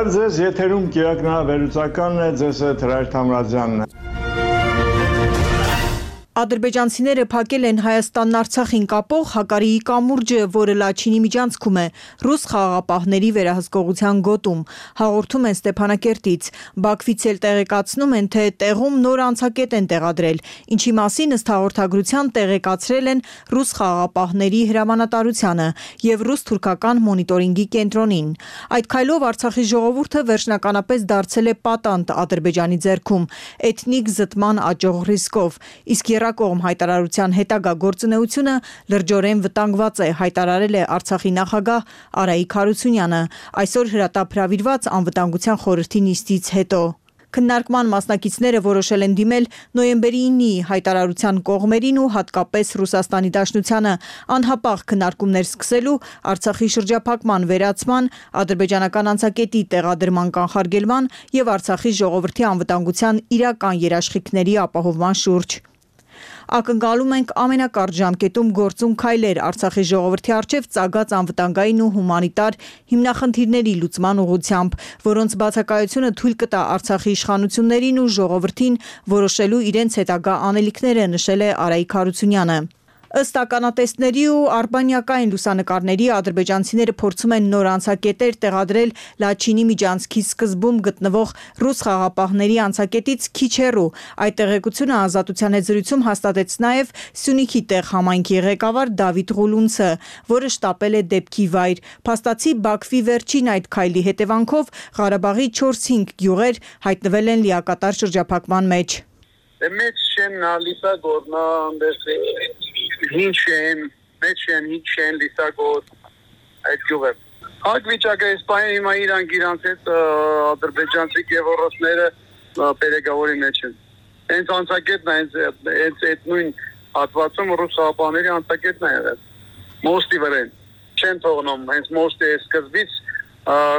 Բարև ձեզ, եթերում կիրակնահավերությունն է, ձեզ հետ Հրայր Թամրազյանն է։ Ադրբեջանցիները փակել են Հայաստանն Արցախին կապող Հակարիի կամուրջը, որը Լաչինի միջանցքում է, ռուս խաղաղապահների վերահսկողության գոտում, հաղորդում են Ստեփանակերտից։ Բաքվից էլ տեղեկացնում են, թե տեղում նոր անցակետ են տեղադրել, ինչի մասին ըստ հաղորդագրության տեղեկացրել են ռուս խաղաղապահների հրամանատարությանը և ռուս-թուրքական մոնիտորինգի կենտրոնին։ Այդ քայլով Արցախի ժողովուրդը վերջնականապես դարձել է պատանդ Ադրբեջանի ձեռքում, էթնիկ զտման աճող ռիսկով, իսկ Կողմ հայտարարության հետագա գործունեությունը լրջորեն վտանգված է, հայտարարել է Արցախի նախագահ Արայիկ Հարությունյանը այսօր հրատապ հրավիրված անվտանգության խորհրդի նիստից հետո։ Քննարկման մասնակիցները որոշել են դիմել նոյեմբերի 9-ի հայտարարության կողմերին ու հատկապես Ռուսաստանի Դաշնությանը անհապաղ քննարկումներ սկսելու Արցախի շրջափակման վերացման, ադրբեջանական անցակետի տեղադրման կանխարգելման և Արցախի ժողովրդի անվտանգության իրական երաշխիքների ապահովման շուրջ։ Ակնկալում ենք ամենակարճ ժամկետում գործուն քայլեր Արցախի ժողովրդի առջև ծագած անվտանգային ու հումանիտար հիմնախնդիրների լուծման ուղղությամբ, որոնց բացակայությունը թույլ կտա Արցախի իշխանություններին ու ժողովրդին որոշելու իրենց հետագա անելիքները, նշել է Արայիկ Հարությունյանը։ Ըստ ականատեսների ու արբանյակային լուսանկարների ադրբեջանցիները փորձում են նոր անցակետեր տեղադրել Լաչինի միջանցքի սկզբում գտնվող ռուս խաղաղապահների անցակետից քիչ հեռու։ Այդ տեղեկությունը Ազատության հետ զրույցում հաստատեց նաև Սյունիքի տեղ համայնքի ղեկավար Դավիթ Ղուլունցը, որը շտապել է դեպքի վայր։ Փաստացի Բաքվի վերջին այդ քայլի հետևանքով Ղարաբաղի 4-5 գյուղեր հայտնվել են լիակատար շրջափակման մեջ։ Հինչ են լիսագոտ այդ գյուղը։ Այդ վիճակը իսպայն հիմա իրանք հետ ադրբեջանցի գևորոսները պերեգավորի մեջ են։ Հենց անցակետն է, հենց այդ նույն հատվածում ռուս խաղաղապահների անցակետն է եղել։ Մոստի վրա չեն թողնում, հենց մոստի սկզբից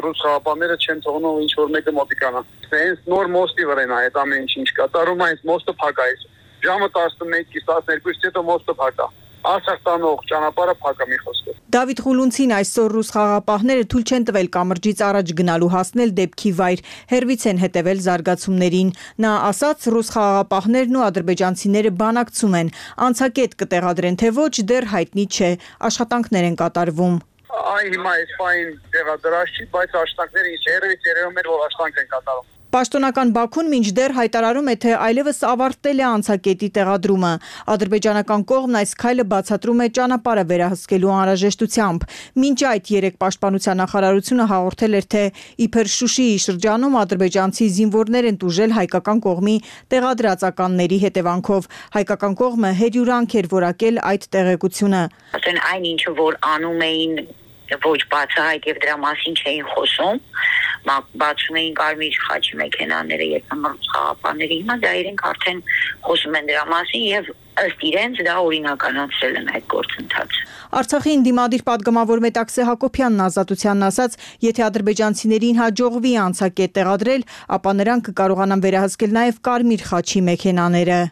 ռուս խաղաղապահները չեն թողնում ինչ որ մեկը մոտիկանա։ Հենց նոր մոստի վրա է այդ ամեն ինչ կատարում, հենց մոստը փակա է։ Ժամը 11-ից 12-ից հետո մոստը փակա։ Արցախ տանող ճանապարհը փակա մի խոսքով։ Դավիթ Ղուլունցին այսօր ռուս խաղաղապահները թույլ չեն տվել կամրջից առաջ գնալու հասնել դեպքի վայր, հեռվից են հետևել զարգացումներին։ Նա ասաց, ռուս խաղաղապահներն ու ադրբեջանցիները բանակցում են, անցակետ կտեղադրեն թե ոչ, դեռ հայտնի չէ, աշխատանքներ են կատարվում։ Հիմա այսպայն տեղադրած չի, բայց աշխատանքները հեռվից երևում էր, որ աշխատանք են կատարում։ Պաշտոնական Բաքուն մինչդեռ հայտարարում է, թե այլևս ավարտել է անցակետի տեղադրումը։ Ադրբեջանական կողմն այս քայլը բացատրում է ճանապարհը վերահսկելու անհրաժեշտությամբ։ Մինչ այդ երեկ պաշտպանության նախարարությունը հաղորդել էր, թե իբր Շուշիի շրջանում ադրբեջանցի զինվորներ են տուժել հայկական կողմի տեղադրածականների հետևանքով։ Հայկական կողմը հերյուրանք էր որակել այդ տեղեկությունը։ Ասեն այն ինչը որ անում էին ոչ բացահայտ եւ դրա մասին չէին խոսում, բացում էին կարմիր խաչի մեքենաները եւ ռուս խաղաղապահների, հիմա դա իրենք արդեն խոսում են դրա մասին եւ ըստ իրենց դա օրինականացրել են այդ գործընթացը։ Արցախի ընդդիմադիր պատգամավոր Մետաքսե Հակոբյանն Ազատությանն ասաց, եթե ադրբեջանցիներին հաջողվի անցակետ տեղադրել, ապա նրանք կկարողանան վերահսկել նաեւ կարմիր խաչի մեքենաները։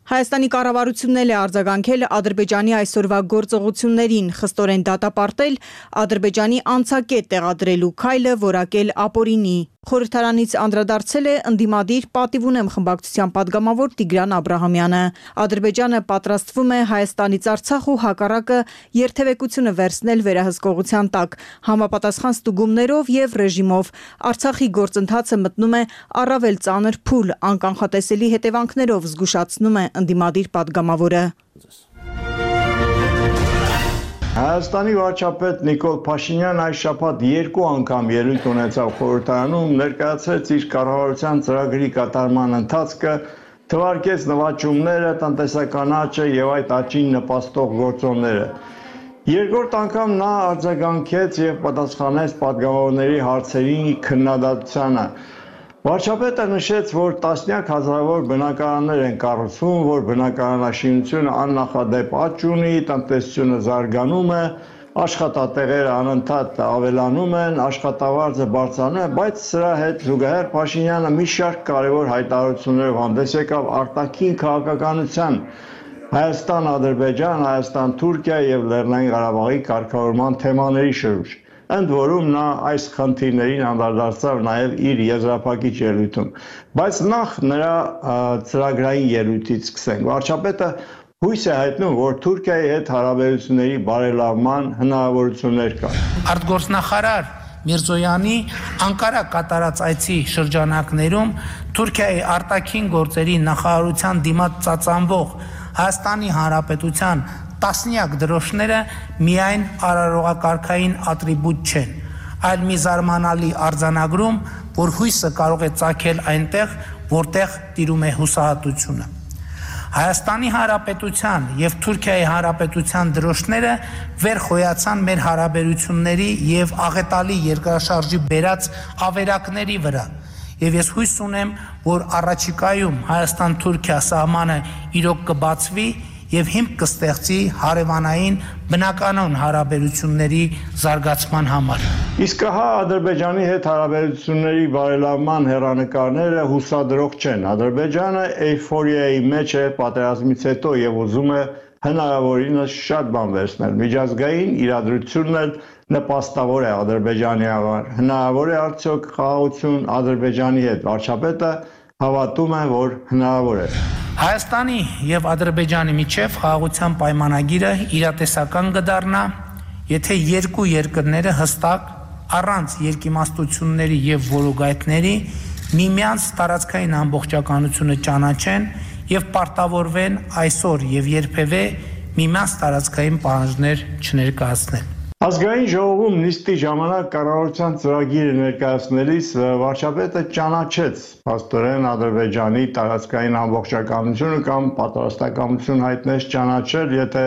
Հայաստանի կառավարությունն էլ է արձագանքել Ադրբեջանի այսօրվա գործողություններին, խստորեն դատապարտել Ադրբեջանի անցակետ տեղադրելու քայլը, որակել ապօրինի։ Խորհրդարանից անդրադարձել է ընդդիմադիր պատիվ ունեմ խմբակցության պատգամավոր Տիգրան Աբրահամյանը։ Ադրբեջանը պատրաստվում է Հայաստանից Արցախ ու հակառակը երթևեկությունը վերցնել վերահսկողության տակ, համապատասխան ստուգումներով եւ ռեժիմով։ Արցախի գործընթացը մտնում է առավել ծանր փուլ, անկանխատեսելի հետևանքներով, զգուշացնում է ընդդիմադիր պատգամավորը։ Հայաստանի վարչապետ Նիկոլ Փաշինյանն այս շաբաթ 2 անգամ ելույթ ունեցավ խորհրդարանում, ներկայացրեց իր կառավարության ծրագրի կատարման ընթացքը, թվարկեց նվաճումները, տնտեսական աճը եւ այդ աճին նպաստող գործոնները։ Երկրորդ անգամ նա արձագանքեց եւ պատասխանեց պատգամավորների հարցերի քննադատությանը։ Վարչապետը նշեց, որ տասնյակ հազարավոր բնակարաններ են կառուցվում, որ բնակարանաշինությունը աննախադեպ աճ ունի, տնտեսությունը զարգանում է, աշխատատեղերը անընդհատ ավելանում են, աշխատավարձը բարձրանում է, բայց սրա հետ զուգահեռ Փաշինյանը մի շարք կարևոր հայտարարություններով հանդես եկավ արտաքին քաղաքականության, Հայաստան-Ադրբեջան, Հայաստան-Թուրքիա եւ Լեռնային Ղարաբաղի կարգավորման թեմաների շուրջ։ ընդ որում նա այս խնդիրներին անդրադարձավ նաև իր եզրափակիչ ելույթում։ Բայց նախ նրա ծրագրային ելույթից սկսենք։ Վարչապետը հույս է հայտնում, որ Թուրքիայի հետ հարաբերությունների բարելավման հնարավորություններ կան։ Արտգործնախարար Միրզոյանի Անկարա կատարած այցի շրջանակներում Թուրքիայի արտաքին գործերի նախարարության դիմաց ծածանվող Հայաստանի Հանրապետության տասնյակ դրոշները միայն արարողակարգային ատրիբուտ չեն, այլ մի զարմանալի արձանագրում, որ հույսը կարող է ծագել այնտեղ, որտեղ տիրում է հուսահատությունը։ Հայաստանի Հանրապետության եւ Թուրքիայի Հանրապետության դրոշները վեր խոյացան մեր հարաբերությունների եւ աղետալի երկրաշարժի բերած ավերակների վրա։ Եվ ես հույս ունեմ, որ առաջիկայում Հայաստան-Թուրքիա սահմանը իրոք կբացվի եւ հիմք կստեղծի հարևանային բնականon հարաբերությունների զարգացման համար։ Իսկ հա Ադրբեջանի հետ հարաբերությունների բարելավման հեռանկարները հուսադրող չեն։ Ադրբեջանը էյֆորիայի մեջ է պատերազմից հետո եւ ուզում է հնարավորինս շատ բան վերցնել։ Միջազգային իրադրությունն էլ նպաստավոր է Ադրբեջանի համար։ Հնարավոր է արդյոք խաղաղություն Ադրբեջանի հետ։ Վարչապետը հավատում է, որ հնարավոր է։ Հայաստանի եւ Ադրբեջանի միջև խաղաղության պայմանագիրը իրատեսական կդառնա, եթե երկու երկրները հստակ առանց երկիմաստությունների եւ որոգայթների միմյանց տարածքային ամբողջականությունը ճանաչեն եւ պարտավորվեն այսօր եւ երբևէ միմյանց տարածքային պահանջներ չներկայացնեն։ Ազգային ժողովում նիստի ժամանակ կառավարության ծրագիրը ներկայացնելիս վարչապետը ճանաչեց փաստորեն Ադրբեջանի տարածքային ամբողջականությունը կամ պատրաստակամություն հայտնեց ճանաչել, եթե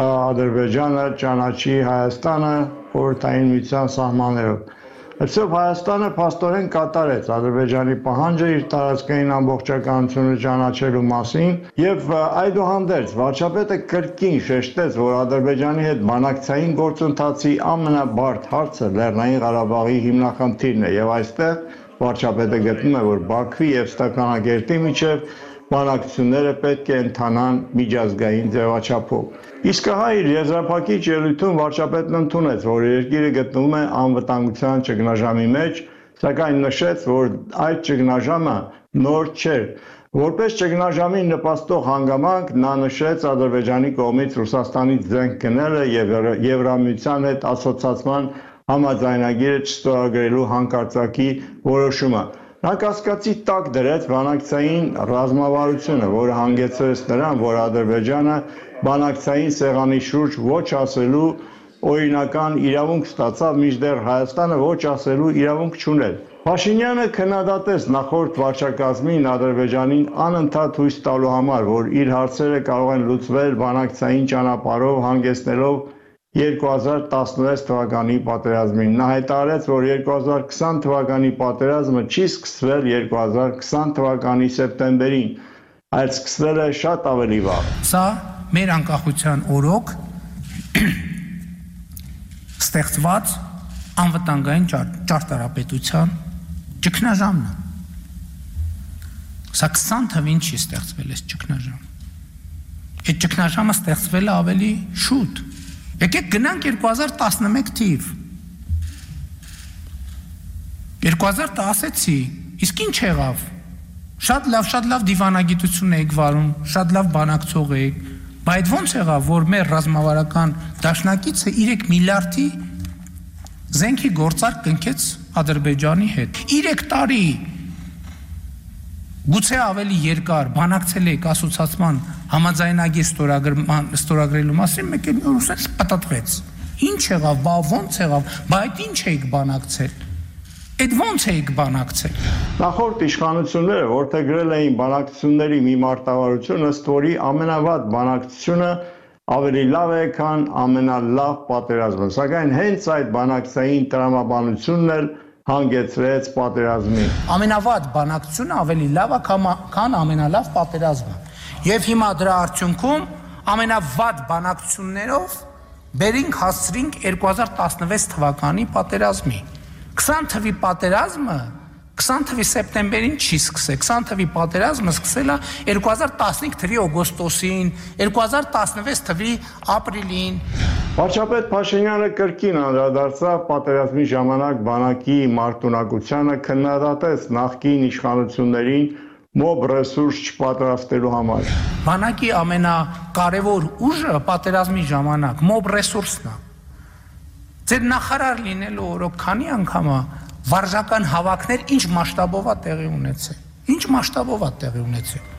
Ադրբեջանը ճանաչի Հայաստանը խորհրդային միության սահմաններով։ Այսով Հայաստանը փաստորեն կատարեց Ադրբեջանի պահանջը իր տարածքային ամբողջականությունը ճանաչելու մասին եւ այդուհանդերձ վարչապետը կրկին շեշտեց, որ Ադրբեջանի հետ բանակցային գործընթացի ամենաբարդ հարցը Լեռնային Ղարաբաղի հիմնախնդիրն է եւ այստեղ վարչապետը գտնում է, որ Բաքվի եւ Ստեփանակերտի միջև բանակցությունները պետք է ընթանան միջազգային ձևաչափով։ Իսկ հա իր եզրափակիչ ելույթում վարչապետն ընդունեց, որ երկիրը գտնվում է անվտանգության ճգնաժամի մեջ, սակայն նշեց, որ այդ ճգնաժամը նոր չէ։ Որպես ճգնաժամին նպաստող հանգամանք նա նշեց Ադրբեջանի կողմից Ռուսաստանից զենք գնելը եւ Եվրամիության հետ ասոցիացման համաձայնագիրը չստորագրելու հանկարծակի որոշումը։ Նա կասկածի տակ դրեց բանակցային ռազմավարությունը, որը հանգեցրեց նրան, որ Ադրբեջանը բանակցային սեղանի շուրջ ոչ ասելու օրինական իրավունք ստացավ, մինչդեռ Հայաստանը ոչ ասելու իրավունք չուներ։ Փաշինյանը քննադատեց նախորդ վարչակազմին Ադրբեջանին անընդհատ հույս տալու համար, որ իր հարցերը կարող են լուծվել բանակցային ճանապարհով, հանգեցնելով 2016 թվականի պատերազմին։ Նա հայտարարեց, որ 2020 թվականի պատերազմը չի սկսվել 2020 թվականի սեպտեմբերին, այլ սկսվել է շատ ավելի վաղ։ Սա մեր անկախության օրոք ստեղծված անվտանգային ճարտարապետության ճգնաժամն է։ Սա 20 թվին չի ստեղծվել այս ճգնաժամը։ Այդ ճգնաժամը ստեղծվել է ավելի շուտ։ Եկեք գնանք 2011 թիվ։ 2010-ի, իսկ ինչ եղավ։ Շատ լավ դիվանագիտություն եք վարում, շատ լավ բանակցող եք, բայց ոնց եղավ, որ մեր ռազմավարական դաշնակիցը 3 միլիարդի զենքի գործարք կնքեց Ադրբեջանի հետ։ 3 տարի գուցե ավելի երկար բանակցել եք ասոցիացման համաձայնագիր ստորագրելու մասին, մեկ էլ Ռուսաստանը պատտվեց։ Ինչ եղավ, բա ոնց եղավ, բա այդ ինչ եք բանակցել։ Այդ ոնց եք բանակցել։ Նախորդ իշխանությունները որդեգրել էին բանակցությունների մի մարտավարություն, ըստ որի ամենավատ բանակցությունը ավելի լավ է, քան ամենալավ պատերազմը։ Սակայն հենց այդ բանակցային տրամաբանությունն էլ հանգեցրեց պատերազմին։ Ամենավատ բանակցությունը ավելի լավ է, քան ամենալավ պատերազմը։ Եվ հիմա դրա արդյունքում ամենավատ բանակցություններով բերինք հասցրինք 2016 թվականի պատերազմի։ 20 թվի պատերազմը 20 թվի սեպտեմբերին չի սկսել, 20 թվի պատերազմը սկսել է 2015 թվի օգոստոսին, 2016 թվի ապրիլին։ Վարչապետ Փաշինյանը կրկին անդրադարձավ պատերազմի ժամանակ բանակի մարտունակությանը, քննադատեց նախկին իշխանություններին մոբ ռեսուրս չպատրաստելու համար։ Բանակի ամենակարևոր ուժը պատերազմի ժամանակ մոբ ռեսուրսն է։ Ձեր նախարար լինելու օրոք քանի անգամ վարժական հավաքներ ինչ մասշտաբով է տեղի ունեցել։ Ինչ մասշտաբով է տեղի ունեցել։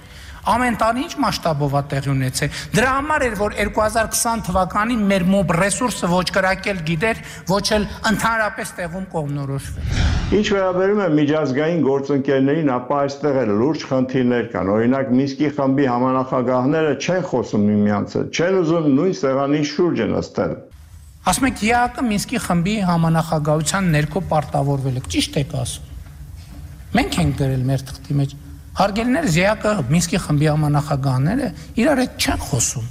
Ամեն տարի ինչ մասշտաբով է տեղի ունեցել։ Դրա համար էր, որ 2020 թվականին մեր մոբ ռեսուրսը ոչ կրակել գիտեր, ոչ էլ ընդհանրապես տեղում կողմնորոշվել։ Ինչ վերաբերում է միջազգային գործընկերներին, ապա այստեղ էլ լուրջ խնդիրներ կան։ Օրինակ Մինսկի խմբի համանախագահները չեն խոսում միմյանց հետ, չեն ուզում նույն սեղանի շուրջը նստել։ Ասում եք, ԵԱԿ-ը Մինսկի խմբի համանախագահության ներքո պարտավորվել է, ճիշտ եք ասում։ Մենք ենք գրել մեր թղթի մեջ։ Հարգելիներս, ԵԱԿ-ը Մինսկի խմբի համանախագահները իրար հետ չեն խոսում։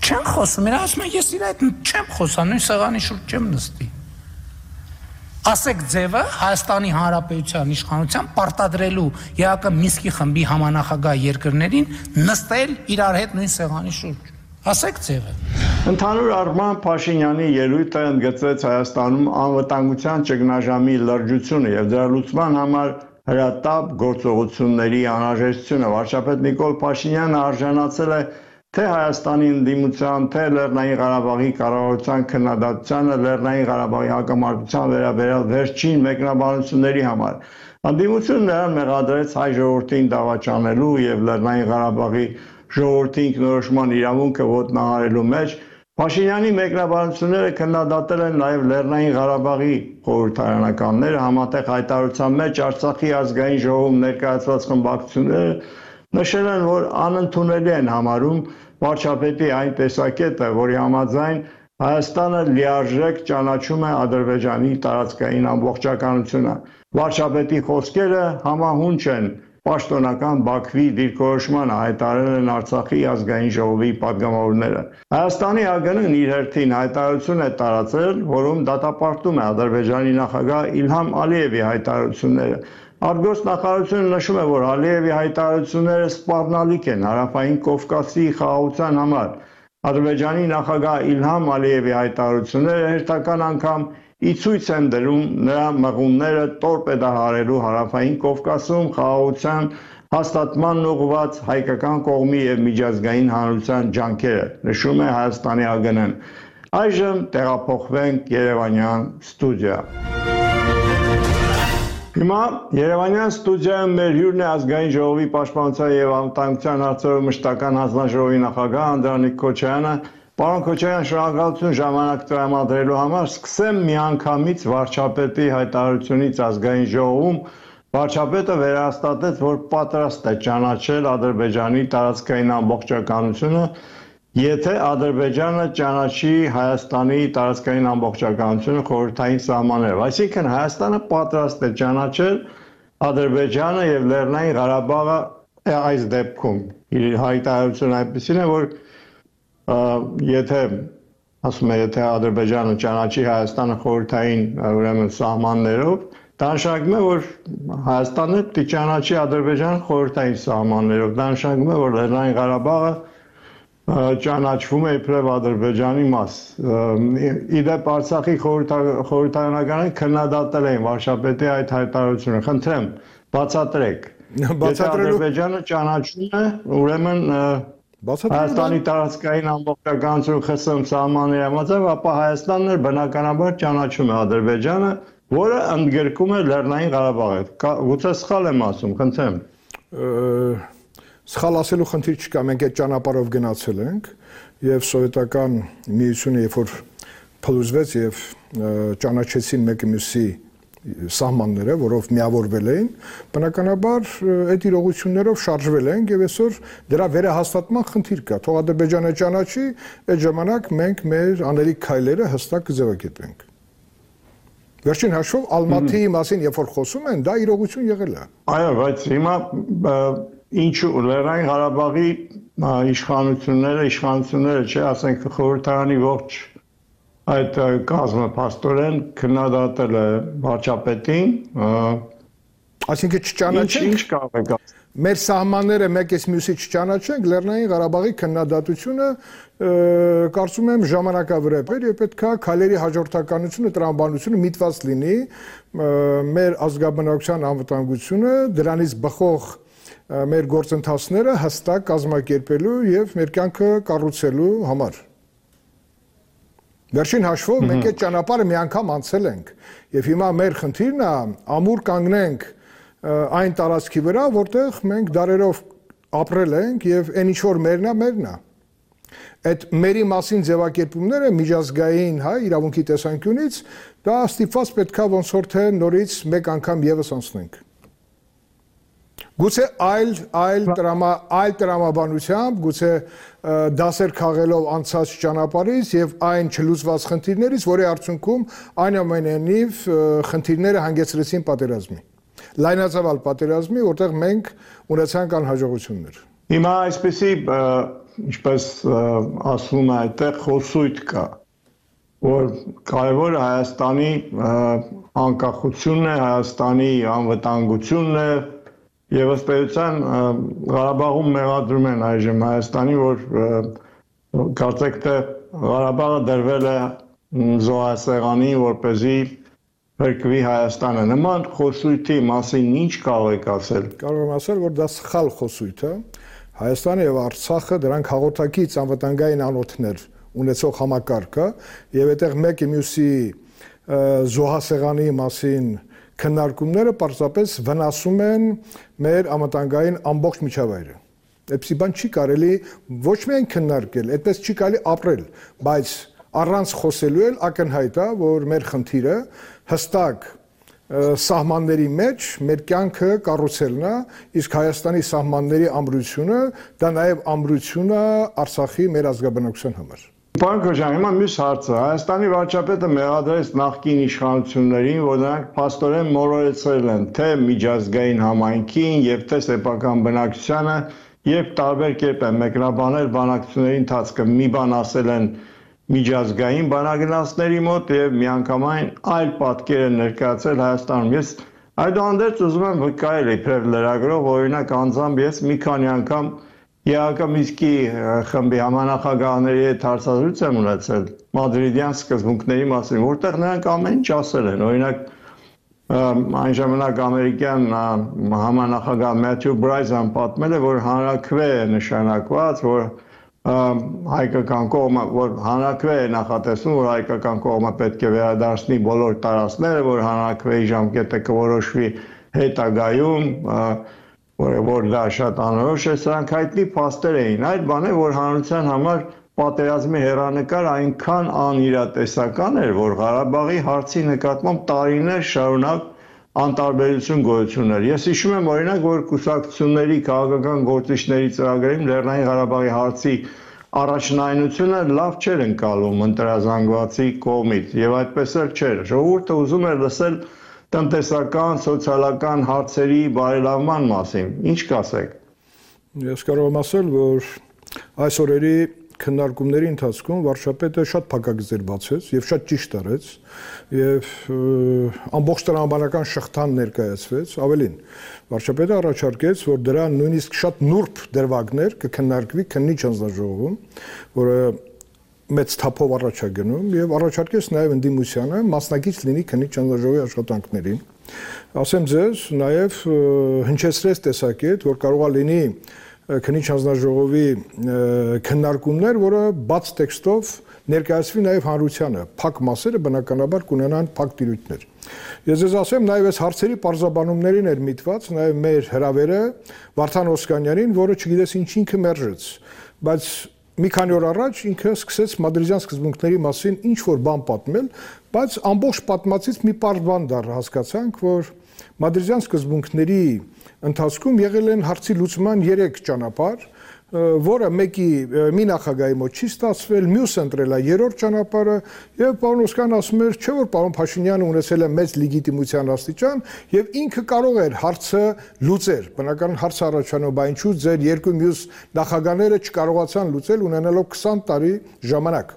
Չեն խոսում, իրար ասում են, ես իր հետ չեմ խոսա, նույն սեղանի շուրջ չեմ նստի։ Ասեք ձևը Հայաստանի Հանրապետության իշխանության պարտադրելու ԵԱԿ-ը Մինսկի խմբի համանախագահ երկրներին նստել իրար հետ նույն սեղանի շուրջ։ Ասեք ձևը։ Ընդհանուր առմամբ Փաշինյանի ելույթը ընդգծեց Հայաստանում անվտանգության ճգնաժամի լրջությունը եւ դրա լուծման համար հրատապ գործողությունների անհրաժեշտությունը։ Վարչապետ Նիկոլ Փաշինյանը արժանացել է թե Հայաստանի ընդդիմության, թե Լեռնային Ղարաբաղի կառավարության քննադատությանը Լեռնային Ղարաբաղի հակամարտության վերաբերյալ վերջին մեկնաբանությունների համար։ Ընդդիմությունը նրան մեղադրեց հայ ժողովրդին դավաճանելու եւ Լեռնային Ղարաբաղի ժողովրդի ինքնորոշման իրավունքը ոտնահարելու մեջ Փաշինյանի մեկնաբանությունները քննադատել են նաև Լեռնային Ղարաբաղի խորհրդարանականները, համատեղ հայտարարության մեջ Արցախի ազգային ժողովում ներկայացված խմբակցությունները նշել են, որ անընդունելի են համարում վարչապետի այն տեսակետը, որի համաձայն Հայաստանը լիարժեք ճանաչում է Ադրբեջանի տարածքային ամբողջականությունը։ Վարչապետի խոսքերը համահունչ են պաշտոնական Բաքվի դիրքորոշմանը, հայտարարել են Արցախի ազգային ժողովի падգամավորները։ Հայաստանի ԱԳՆ-ն իր հերթին հայտարարություն է տարածել, որում դատապարտում է Ադրբեջանի նախագահ Իլհամ Ալիևի հայտարարությունները։ Արտգործ նախարարությունը նշում է, որ Ալիևի հայտարարությունները սպառնալիք են Հարավային Կովկասի խաղաղության համար։ Ադրբեջանի նախագահ Իլհամ Ալիևի հայտարարությունները հերթական անգամ ի ցույց են դրում նրա մղումները տորպեդահարելու Հարավային Կովկասում խաղաղության հաստատմանն ուղղված հայկական կողմի եւ միջազգային հանրության ջանքերը, նշում է Հայաստանի ԱԳՆ-ն։ Այժմ տեղափոխվենք Երևանյան ստուդիա։ Հիմա Երևանյան ստուդիայում մեր հյուրն է ազգային ժողովի պաշտպանության եւ անվտանգության հարցերով մշտական հանձնաժողովի նախագահ Անդրանիկ Քոչարյանը։ Պարոն Քոչարյան, շնորհակալություն ժամանակ տրամադրելու համար։ Սկսեմ միանգամից վարչապետի հայտարարությունից ազգային ժողովում։ Վարչապետը վերահաստատեց, որ պատրաստ է ճանաչել Ադրբեջանի տարածքային ամբողջականությունը, եթե Ադրբեջանը ճանաչի Հայաստանի տարածքային ամբողջականությունը խորհրդային սահմաններով։ Այսինքն Հայաստանը պատրաստ է ճանաչել Ադրբեջանը եւ Լեռնային Ղարաբաղը այս դեպքում։ Իր հայտարարությունը այնպեսին է, որ եթե ասում է, եթե Ադրբեջանը ճանաչի Հայաստանը խորհրդային ուրեմն սահմաններով, դա նշանակում է, որ Հայաստանը պիտի ճանաչի Ադրբեջանը խորհրդային սահմաններով, դա նշանակում է, որ Լեռնային Ղարաբաղը ճանաչվում է իբրև Ադրբեջանի մաս։ Իդեպ Արցախի խորհրդարանականները քննադատել են վարչապետի այդ հայտարարությունը։ Խնդրեմ, բացատրեք։ Եթե Ադրբեջանը ճանաչում է, ուրեմն Հայաստանի տարածքային ամբողջականություն ԽՍՀՄ սահմանների համաձայն, ապա Հայաստանն էլ բնականաբար ճանաչում է Ադրբեջանը, որը ընդգրկում է Լեռնային Ղարաբաղը։ Գուցե սխալ եմ ասում, խնդրեմ։ Սխալ ասելու խնդիր չկա, մենք այդ ճանապարհով գնացել ենք եւ սովետական միությունը երբ որ փլուզվեց եւ ճանաչեցին մեկը մյուսի սահմանները, որով միավորվել էին, բնականաբար այդ իրողություններով շարժվել են եւ այսօր դրա վերահաստատման խնդիր կա։ Թող Ադրբեջանը ճանաչի, այդ ժամանակ մենք մեր անելիք քայլերը հստակ կձևակերպենք։ Վերջին հաշվով Ալմատիի մասին երբ որ խոսում են, դա իրողություն եղել է։ Այո, բայց հիմա ինչու Լեռնային Ղարաբաղի իշխանությունները, չէ, ասենք խորհրդարանի ողջ այդ կազմը փաստորեն քննադատել է վարչապետին, այսինքն չճանաչենք, ինչ կարող է մեր սահմանները մեկից մյուսի չճանաչենք, Լեռնային Ղարաբաղի քննադատությունը կարծում եմ ժամանակավրեպ էր եւ պետք է քայլերի հաջորդականությունը, տրամաբանությունը միտված լինի մեր ազգաբնակության անվտանգությունը, դրանից բխող մեր գործընթացները հստակ կազմակերպելու եւ մեր կյանքը կառուցելու համար։ Վերջին հաշվով մենք այդ ճանապարհը մի անգամ անցել ենք եւ հիմա մեր խնդիրն է ամուր կանգնենք այն տարածքի վրա, որտեղ մենք դարերով ապրել ենք եւ այն ինչ որ մերն է։ Այդ մերի մասին ձևակերպումները միջազգային իրավունքի տեսանկյունից դա ստիպված պետքա ոնց որ թե նորից մեկ անգամ եւս անցնենք։ Գուցե այլ տրամաբանությամբ, գուցե դասեր քաղելով անցած ճանապարհից եւ այն չլուծված խնդիրներից, որի արդյունքում այնուամենայնիվ խնդիրները հանգեցրեցին պատերազմի։ Լայնածավալ պատերազմի, որտեղ մենք ունեցանք անհաջողություններ։ Հիմա այսպեսի, ինչպես ասվում է, այդտեղ խոսույթ կա, որ կարևորը Հայաստանի անկախությունն է, Հայաստանի անվտանգությունն է, եւ ըստ էության Ղարաբաղում մեղադրում են այժմ Հայաստանի, որ կարծեք թե Ղարաբաղը դրվել է զոհասեղանի, որպեսզի փրկվի Հայաստանը։ Նման խոսույթի մասին ինչ կարող եք ասել։ Կարող եմ ասել, որ դա սխալ խոսույթ է։ Հայաստանը եւ Արցախը դրանք հաղորդակից անվտանգային անոթներ ունեցող համակարգ է եւ այդտեղ մեկը մյուսի զոհասեղանի մասին քննարկումները պարզապես վնասում են մեր անվտանգային ամբողջ միջավայրը։ Այդպիսի բան չի կարելի ոչ միայն քննարկել, այդպես չի կարելի ապրել, բայց առանց խոսելու էլ ակնհայտ է, որ մեր խնդիրը հստակ սահմանների մեջ մեր կյանքը կառուցելն է, իսկ Հայաստանի սահմանների ամրությունը դա նաև ամրություն է Արցախի մեր ազգաբնակության համար։ Պարոն Քոչարյան, հիմա մյուս հարցը, Հայաստանի վարչապետը մեղադրեց նախկին իշխանություններին, որ նրանք փաստորեն մոլորեցրել են թե միջազգային համայնքին եւ թե սեփական բնակչությանը, երբ տարբեր կերպ են մեկնաբանել բանակցությունների ընթացքը, մի բան ասել են միջազգային բանագնացների մոտ եւ միանգամայն այլ պատկեր են ներկայացրել Հայաստանում։ Ես այդուհանդերձ ուզում եմ վկայել իբրև լրագրող, օրինակ անձամբ ես մի քանի անգամ ԵԱԿ Մինսկի խմբի համանախագահների հետ հարցազրույց եմ ունեցել մադրիդյան սկզբունքների մասին, որտեղ նրանք ամեն ինչ ասել են։ Օրինակ այն ժամանակ ամերիկյան համանախագահ Մաթյու Բրայզան պատմել է, որ հանրաքվե է նշանակված, որ հայկական կողմը, որ հանրաքվե է նախատեսում, որ հայկական կողմը պետք է վերադարձնի բոլոր տարածքները, որ հանրաքվեի ժամկետը կորոշվի հետագայում, որ դա շատ անորոշ է, սրանք հայտնի փաստեր էին։ Այդ բանը, որ հանրության համար պատերազմի հեռանկար այնքան անիրատեսական էր, որ Ղարաբաղի հարցի նկատմամբ տարիներ շարունակ անտարբերություն գոյություն էր։ Ես հիշում եմ օրինակ, որ կուսակցությունների քաղաքական գործիչների ծրագրերում Լեռնային Ղարաբաղի հարցի առաջնայնությունը լավ չէր ընկալում ընտրազանգվածի կողմից, եւ այդպես էլ չէր։ Ժողովուրդը ուզում էր լսել տնտեսական, սոցիալական հարցերի բարելավման մասին։ Ինչ կասեք։ Ես կարող եմ ասել, որ այս օրերի քննարկումների ընթացքում վարչապետը շատ փակագծեր բացեց եւ շատ ճիշտ արեց եւ ամբողջ տրամաբանական շղթան ներկայացվեց, ավելին վարչապետը առաջարկեց, որ դրա նույնիսկ շատ նուրբ դրվագներ կքննարկվի քննիչ հանձնաժողովում, որը մեծ թափով առաջ է գնում եւ առաջարկեց նաեւ ընդդիմությանը մասնակից լինի քննիչ հանձնաժողովի աշխատանքներին։ Ասեմ ձեզ, նաեւ հնչեցրեց տեսակետ, որ կարող է լինի քննիչ հանձնաժողովի քննարկումներ, որը բաց տեքստով ներկայացվի նաև հանրությանը, փակ մասերը բնականաբար կունենան փակ տիրույթներ։ Ես ձեզ ասեմ, նաև այս հարցերի պարզաբանումներին էր միտված նաև մեր հրավերը Վարդան Օսկանյանին, որը չգիտես ինչ ինքը մերժեց, բայց մի քանի օր առաջ ինքը սկսեց մադրիդյան սկզբունքների մասին ինչ որ բան պատմել, բայց ամբողջ պատմածից մի պարզ բան դառ հասկացանք, որ մադրիդյան սկզբունքների ընթացքում եղել են հարցի լուծման 3 ճանապարհ, որը մի նախագահի մոտ չի ստացվել, մյուսը ընտրել է 3-րդ ճանապարհը, եւ պարոն Օսկանն ասում էր, չէ՞ որ պարոն Փաշինյանը ունեցել է մեծ լեգիտիմության աստիճան եւ ինքը կարող էր հարցը լուծել։ Բնականաբար հարցը առաջանում, բայց ինչու ձեր երկու մյուս նախագահները չկարողացան լուծել ունենալով 20 տարի ժամանակ։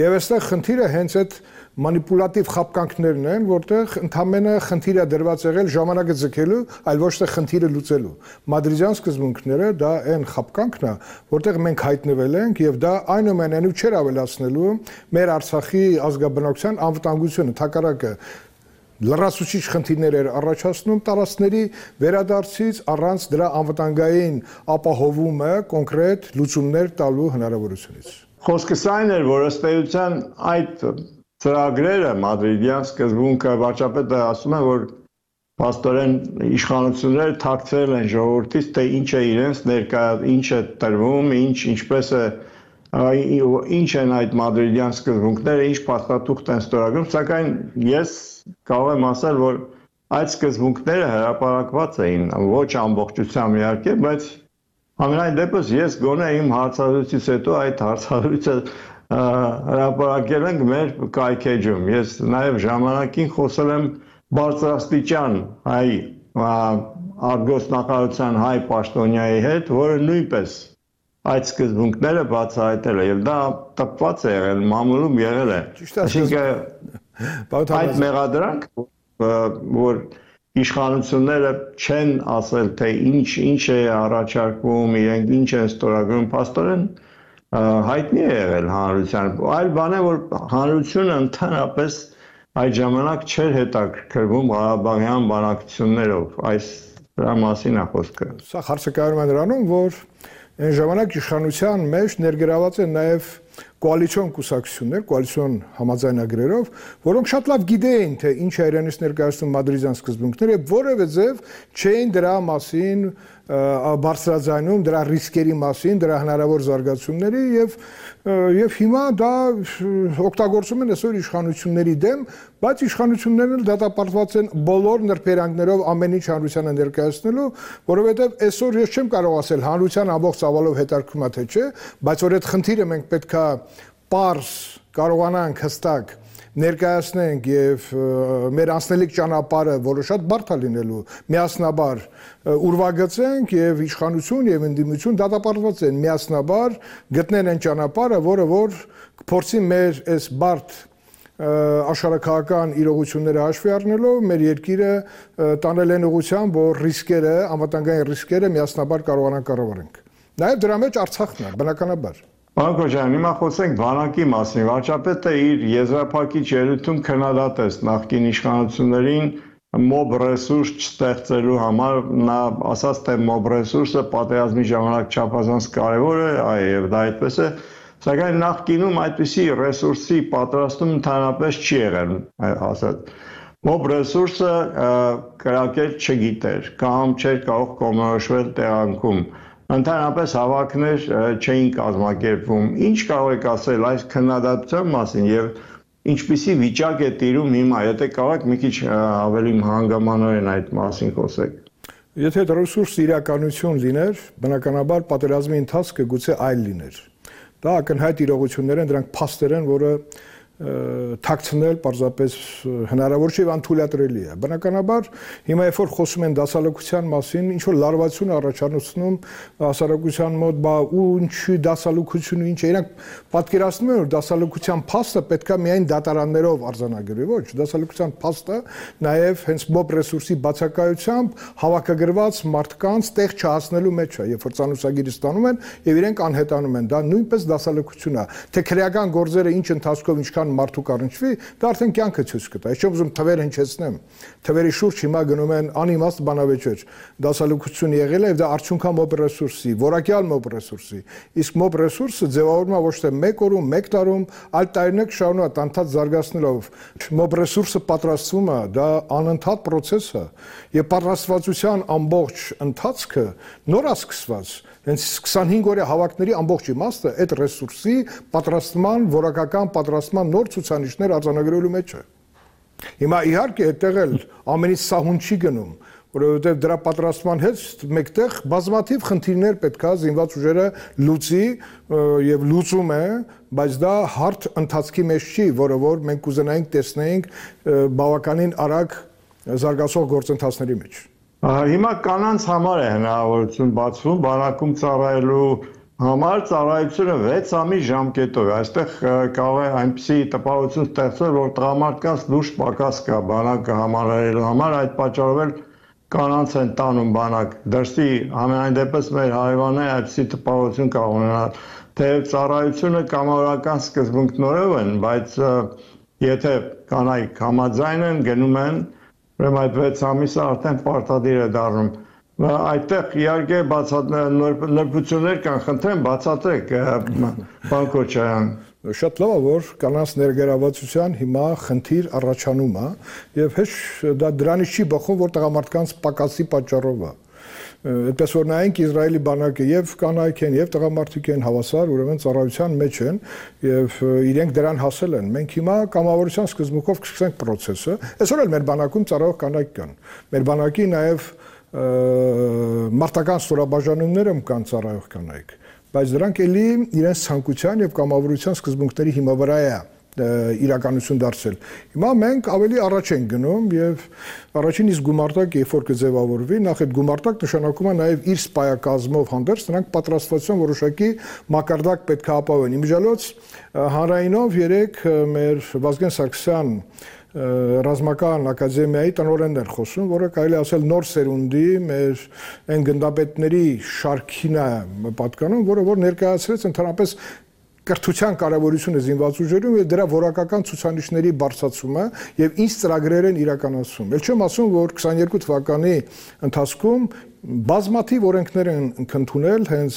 Եվ այստեղ խնդիրը հենց այդ մանիպուլատիվ խապկանքներն են, որտեղ ընդամենը խնդիրը դրված եղել ժամանակը ձգելու, այլ ոչ թե խնդիրը լուծելու։ Մադրիդյան սկզբունքները դա այն խապկանքն է, որտեղ մենք հայտնվել ենք եւ դա այնուամենայնիվ չէր ավելացնելու մեր Արցախի ազգաբնակության անվտանգությունը, թակարակը լրացուցիչ խնդիրներ էր առաջացնում տարածքների վերադարձից առանց դրա անվտանգային ապահովումը կոնկրետ լուծումներ տալու հնարավորությունից։ Խոսքս այն էր, որ ըստ էության այդ ծրագրերը Մադրիդյան սկզբունքը վարչապետը ասում է, որ փաստորեն իշխանությունները թաքցրել են ժողովրդից, թե ինչ է իրենց ներկա, ինչ է տրվում, ինչպես է ինչ են այդ Մադրիդյան սկզբունքները, ինչ փաստաթուղթ են ստորագրում, սակայն ես կարող եմ ասել, որ այդ սկզբունքները հրապարակված էին, ոչ ամբողջությամբ իհարկե, բայց ամենայն դեպս ես գոնե իմ հարցազրույցից հետո այդ հարցազրույցը հրապարակել ենք մեր կայքեջում։ Ես նաև ժամանակին խոսել եմ բարձրաստիճան հայ արտգործնախարարության հայ պաշտոնյայի հետ, որը նույնպես այդ սկզբունքները բացահայտել է եւ դա տպված է եղել, մամուլում եղել է։ Այսինքն այդ մեղադրանք, որ իշխանությունները չեն ասել, թե ինչ է առաջարկվում, իրենք ինչ են ստորագրում, փաստորեն հայտնի է եղել հանրությանը։ Այլ բան է, որ հանրությունը ընդհանրապես այդ ժամանակ չէր հետաքրքրվում Ղարաբաղյան բանակցություններով, դրա մասին է խոսքը։ Սա հարցը կայանում է նրանում, որ այն ժամանակ իշխանության մեջ ներգրաված են նաև կոալիցիոն կուսակցություններ, կոալիցիոն համաձայնագրերով, որոնք շատ լավ գիտեին, թե ինչ է իրենից ներկայացնում Մադրիդյան սկզբունքները, որևէ ձև չէին դրա մասին բարձրաձայնում, դրա ռիսկերի մասին, դրա հնարավոր զարգացումների եւ հիմա դա օգտագործում են այսօր իշխանությունների դեմ, բայց իշխանություններն էլ դատապարտված են բոլոր նրբերանգներով ամեն ինչ հանրությանը ներկայացնելու, որովհետեւ այսօր ես չեմ կարող ասել հանրության ամբողջ ծավալով հետաքրքրում է թե չէ, բայց որ այդ խնդիրը մենք պետքա պարզ կարողանանք հստակ ներկայացնենք եւ մեր անցնելիք ճանապարհը, որը շատ բարդ է լինելու, միասնաբար ուրվագծենք եւ իշխանություն եւ ընդդիմություն դատապարտված են միասնաբար գտնեն այն ճանապարհը, որը որ փորձի մեր այս բարդ աշխարհակահական իրողությունները հաշվի առնելով մեր երկիրը տանել են ուղղությամբ, որ ռիսկերը, անվտանգային ռիսկերը միասնաբար կարողանանք կառավարենք։ Նաեւ դրա մեջ Արցախն է, բնականաբար։ Պարոն Քոչարյան, հիմա խոսենք բանակի մասին։ Վարչապետը իր եզրափակիչ ելույթում քննադատեց նախկին իշխանություններին մոբ ռեսուրս չստեղծելու համար, նա ասաց, թե մոբ ռեսուրսը պատերազմի ժամանակ չափազանց կարևոր է, եւ դա այդպես է, սակայն նախկինում այդպիսի ռեսուրսի պատրաստում ընդհանրապես չի եղել, ասած։ Մոբ ռեսուրսը կրակել չգիտեր, կամ չէր կարող կողմնորոշվել տեղանքում։ Ընդհանրապես հավաքներ չէին կազմակերպվում։ Ինչ կարող եք ասել այս քննադատության մասին եւ ինչպիսի վիճակ է տիրում հիմա, եթե կարող եք մի քիչ ավելի հանգամանորեն այդ մասին խոսեք։ Եթե ռեսուրս իրականություն լիներ, բնականաբար պատերազմի ընթացքը գուցե այլ լիներ։ Դա ակնհայտ իրողություններ են, դրանք փաստեր են, որը թաքցնել պարզապես հնարավոր չէ, անթույլատրելի է։ Բնականաբար հիմա երբ որ խոսում են դասալուկության մասին, ինչ որ լարվածություն առաջացնում հասարակության մոտ, բա ու ինչի դասալուկությունը ինչ է, իրանք պատկերացնում են, որ դասալուկության փաստը պետքա միայն դատարաններով արձանագրվի, ոչ, դասալուկության փաստը նաև հենց մոբ ռեսուրսի բացակայությամբ հավաքագրված մարդկանց տեղ չհասնելու մեջ է, երբ որ ցանուսագիրը ստանում են եւ իրենք անհետանում են, դա նույնպես դասալուկություն է, թե քրեական գործերը ինչ ընթացքով ինչքան մարդու կառնչվի, դա արդեն կյանքը ցույց կտա։ Ես չեմ ուզում թվեր հնչեցնեմ։ Թվերի շուրջ հիմա գնում են անիմաստ բանավեճեր։ Դասալուկություն եղել է եւ դա արդյունքա մոբ ռեսուրսի, որակյալ մոբ ռեսուրսի։ Իսկ մոբ ռեսուրսը ձևավորվում է ոչ թե 1 օրում, 1 տարում, այլ տարիներ շարունակ անընդհատ զարգացնելով։ Մոբ ռեսուրսը պատրաստվում է, դա անընդհատ process է, եւ պատրաստվածության ամբողջ ընթացքը նոր է սկսված։ Հենց 25 օրյա հավաքների ամբողջ իմաստը այդ ռեսուրսի պատրաստման, որակական պատրաստման նոր ցուցանիշներ արձանագրելու մեջ է։ Հիմա իհարկե այդտեղ էլ ամենից սահուն չի գնում, որովհետև դրա պատրաստման հետ մեկտեղ բազմաթիվ խնդիրներ պետքա զինված ուժերը լուծի եւ լուծում է, բայց դա հարթ ընթացքի մեջ չի, որը որ մենք կուզենայինք տեսնեինք բավականին արագ զարգացող գործընթացների մեջ։ Հիմա կանանց համար է հնարավորություն բացվում բանակում ծառայելու, համար ծառայությունը 6 ամիս ժամկետով է։ Այստեղ կարող է այնպիսի տպավորություն ստեղծվել, որ տղամարդկանց լուրջ պակաս կա բանակը համալրելու համար, այդ պատճառով էլ կանանց են տանում բանակ։ Դրսի ամենայն դեպս մեր հարևանները այդպիսի տպավորություն կարող ունենալ, թեև ծառայությունը կամավորական սկզբունքներով են, բայց եթե կանայք համաձայն են, գնում են, ուրեմն այդ 6 ամիսը արդեն պարտադիր է դառնում։ Այդտեղ իհարկե նորբություններ կան, խնդրեմ բացատրեք, պարոն Քոչարյան։ Շատ լավ է, որ կանանց ներգրավվածության հիմա խնդիր առաջանում է, եւ հեչ դա դրանից չի բխում, որ տղամարդկանց պակասի պատճառով է։ Այդպես որ նայենք Իսրայելի բանակը եւ կանայք են եւ տղամարդիկ են հավասար, ուրեմն ծառայության մեջ են եւ իրենք դրան հասել են։ Մենք հիմա կամավորության սկզբունքով կսկսենք process-ը։ Այսօր էլ մեր բանակում ծառայող կանայք կան։ Մեր բանակի նաեւ մարտական ստորաբաժանումներում կան ծառայող կանայք, բայց դրանք էլի իրենց ցանկության եւ կամավորության սկզբունքների հիմա վրա է իրականություն դարձել։ Հիմա մենք ավելի առաջ ենք գնում եւ առաջին իսկ գումարտակ երբ որ կձևավորվի, նախ այդ գումարտակ նշանակում է նաեւ իր սպայակազմով հանդերձ նրանք պատրաստվածության որոշակի մակարդակ պետք է ապահովեն։ Իմիջիալոց հանրայինով երեք մեր Վազգեն Սարգսյան ռազմական ակադեմիայի տնօրենն էր խոսում, որը կարելի ասել նոր սերունդի մեր այն գնդապետների շարքին է պատկանում, որ ներկայացրեց ընդհանրապես կրթության կարևորությունը զինված ուժերում եւ դրա որակական ցուցանիշների բարձրացումը եւ ինչ ծրագրեր են իրականացում։ Ել չեմ ասում, որ 22 թվականի ընթացքում բազմաթիվ օրենքներ են ընդունել հենց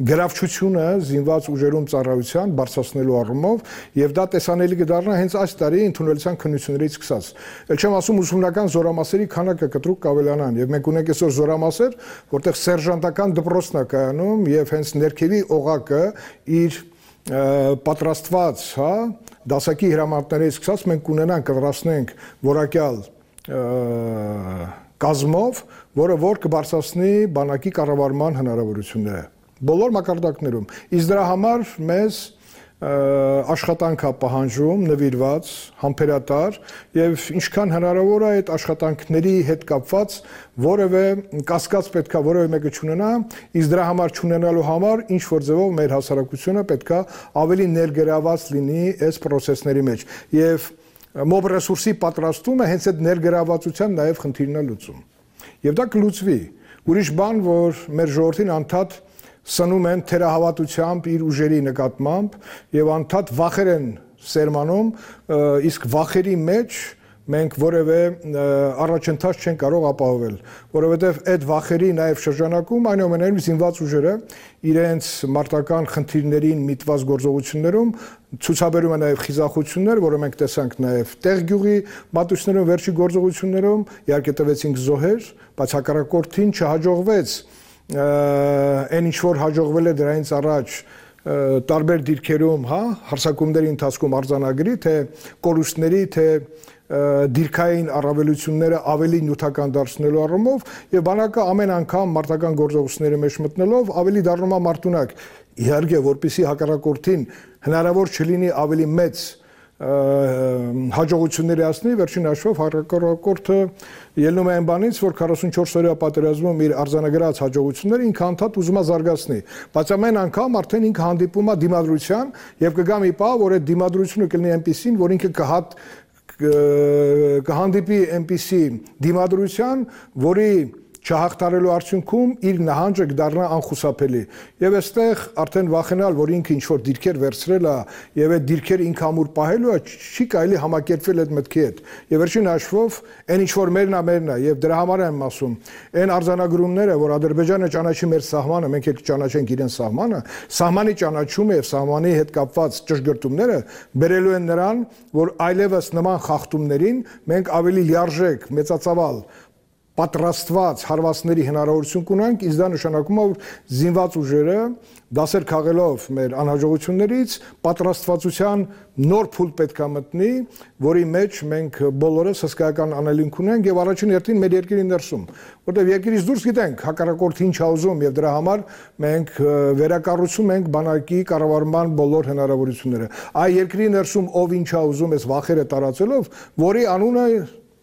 գրավչությունը զինված ուժերում ծառայության բարձրացնելու առումով եւ դա տեսանելի կդառնա հենց այս տարի ընդունելության քննություններից սկսած։ Ել չեմ ասում ուսումնական զորամասերի քանակը կտրուկ կավելանան եւ մենք ունենք այսօր զորամասեր, որտեղ սերժանտական դպրոցն է կայանում եւ հենց ներքևի օղակը իր պատրաստված, հա, դասակի հրամանատարներից սկսած մենք կունենանք կդրասնենք որակյալ կազմով, որ կբարձրացնի բանակի կառավարման հնարավորությունները բոլոր մակարդակներում։ Իսկ դրա համար մեզ աշխատանք է պահանջում նվիրված, համբերատար եւ ինչքան հնարավոր է այդ աշխատանքների հետ կապված որևէ կասկած պետքա որևէ մեկը չունենա, իսկ դրա համար չունենալու համար ինչ որ ձևով մեր հասարակությունը պետքա ավելի ներգրաված լինի այս process-ների մեջ եւ մոբ ռեսուրսի պատրաստումը հենց այդ ներգրավվածության նաեւ խնդիրն է լուծում։ Եվ դա կլուծվի։ Ուրիշ բան, որ մեր ժողովրդին անդադ սնում են թերահավատությամբ իր ուժերի նկատմամբ եւ անդադ վախեր են սերմանում, իսկ վախերի մեջ մենք որևէ առաջընթաց չեն կարող ապահովել, որովհետև այդ վախերի նաև շրջանակում այնուամենայնիվ զինված ուժերը իրենց մարտական խնդիրներին միտված գործողություններում ցուցաբերում են նաև խիզախություններ, որը մենք տեսանք նաև տեղ գյուղի մատուցներում վերջի գործողություններում, իհարկե տվեցինք զոհեր, բայց հակառակորդին չհաջողվեց այն ինչ որ հաջողվել է դրանից առաջ տարբեր դիրքերում, հա, հարձակումների ընթացքում արձանագրի, թե կորուստների, թե դիրքային առավելությունները ավելի նյութական դարձնելու առումով եւ բանակը ամեն անգամ մարտական գործողությունների մեջ մտնելով ավելի դառնում է մարտունակ։ Իհարկե, որպեսզի հակառակորդին հնարավոր չլինի ավելի մեծ հաջողությունների հասնի, վերջին հաշվով հակառակորդը ելնում է այն բանից, որ 44 օրյա պատերազմում իր արձանագրած հաջողությունները ինքը անդադ ուզում է զարգացնի, բայց ամեն անգամ արդեն ինքը հանդիպում է դիմադրության եւ կգա մի պահ, որ այդ դիմադրությունը կլինի այնպեսին, որ ինքը կհանդիպի այնպիսի դիմադրության, որի չհաղթարելու արդյունքում իր նահանջը կդառնա անխուսափելի։ Եվ այստեղ արդեն վախենալ, որ ինքը ինչ-որ դիրքեր վերցրել է եւ այդ դիրքերը ինքը ամուր պահելու է, չի կարելի համակերպվել այդ մտքի հետ։ Եվ վերջին հաշվով այն ինչ-որ մերն է եւ դրա համար եմ ասում, այն արձանագրումները, որ Ադրբեջանը ճանաչի մեր սահմանը, մենք էլ ճանաչենք իրեն սահմանը, սահմանի ճանաչումը եւ սահմանի հետ կապված ճշգրտումները բերելու են նրան, որ այլևս նման խախտումներին մենք ավելի լիարժեք, մեծածավալ պատրաստված հարվածների հնարավորություն կունենք, իսկ դա նշանակում է, որ զինված ուժերը դասեր քաղելով մեր անհաջողություններից պատրաստվածության նոր փուլ պետք է մտնի, որի մեջ մենք բոլորս հսկայական անելիք ունենք եւ առաջին հերթին մեր երկրի ներսում, որտեղ երկրից դուրս գիտենք հակառակորդը ինչ է ուզում եւ դրա համար մենք վերակառուցում ենք բանակի կառավարման բոլոր հնարավորությունները։ Այ երկրի ներսում ով ինչ է ուզում այս վախերը տարածելով, որի անունը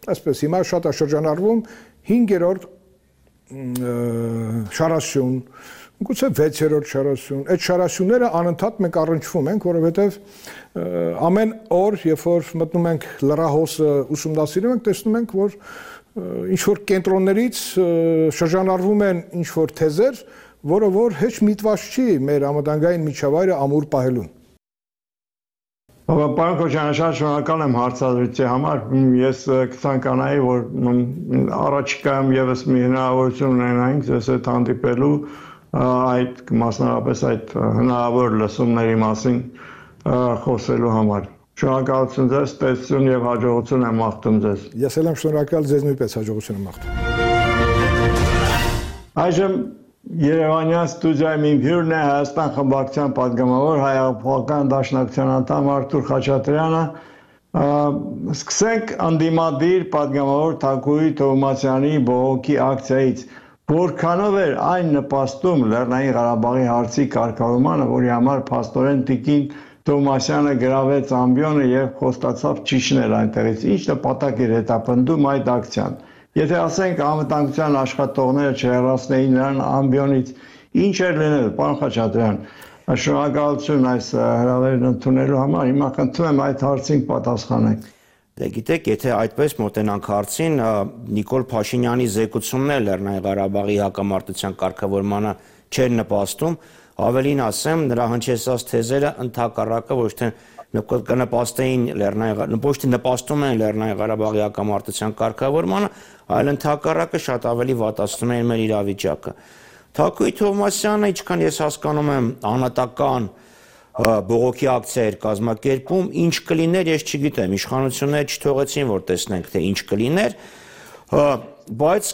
այսպես հիմա շատ է շրջանառվում 5-րդ շարաշուն, գուցե 6-րդ շարասյուն, այդ շարասյունները անընդհատ մենք առնչվում ենք, որովհետև ամեն օր, երբ որ մտնում ենք լրահոսը ուսումնասիրում ենք, տեսնում ենք, որ ինչ-որ կենտրոններից շրջանառվում են ինչ-որ թեզեր, որը որ հեչ միտված չի մեր համադանգային միջավայրը ամուր պահելուն։ Պարոն Քոչարյան, շատ շնորհակալ եմ հարցազրույցի համար։ Ես կցանկանայի, որ առաջիկայում ևս մի հնարավորություն ունենայինք ձեզ հետ հանդիպելու այդ մասնավորապես այդ հնարավոր լսումների մասին խոսելու համար։ Շնորհակալություն ձեզ, տեսություն եւ հաջողություն եմ մաղթում ձեզ։ Ես էլ եմ շնորհակալ, ձեզ նույնպես հաջողություն եմ մաղթում։ Այժմ Երևանյան ստուդիայում իմ հյուրն է Հայաստան խմբակցության պատգամավոր Հայ-Հեղափոխական դաշնակցության անդամ Արթուր Խաչատրյանը։ Սկսենք անդիմադիր պատգամավոր Թակուհի Թովմասյանի բողոքի ակցիայից։ Որքանով էր այն նպաստում Լեռնային Ղարաբաղի հարցի կարգավորմանը, որի համար փաստորեն Տիկին Թովմասյանը գրավեց ամբիոնը եւ խոստացավ ճիշտել այնտեղից։ Ինչ նպատակ էր հետապնդում այդ ակցիան։ Եթե ասենք անվտանգության աշխատողները չհեռացնեին նրան ամբիոնից, ինչ էր լինել, պարոն Խաչատրյան, շնորհակալություն այս հրավերն ընդունելու համար, հիմա խնդրում եմ այդ հարցին պատասխանեք։ Դե գիտեք, եթե այդպես մոտենանք հարցին, Նիկոլ Փաշինյանի զեկուցումն էլ Լեռնային Ղարաբաղի հակամարտության կարգավորմանը չէր նպաստում, ավելին ասեմ, նրա հնչեցած թեզերը ընդհակառակը ոչ թե կնպաստեին նպաստում են Լեռնային Ղարաբաղի հակամարտության կարգավորմանը, այլ ընդհակառակը շատ ավելի վատացնում են մեր իրավիճակը։ Թակուհի Թովմասյանը, ինչքան ես հասկանում եմ, անհատական բողոքի ակցիա էր կազմակերպում, ինչ կլիներ, ես չգիտեմ, իշխանությունները չթողեցին, որ տեսնենք, թե ինչ կլիներ, բայց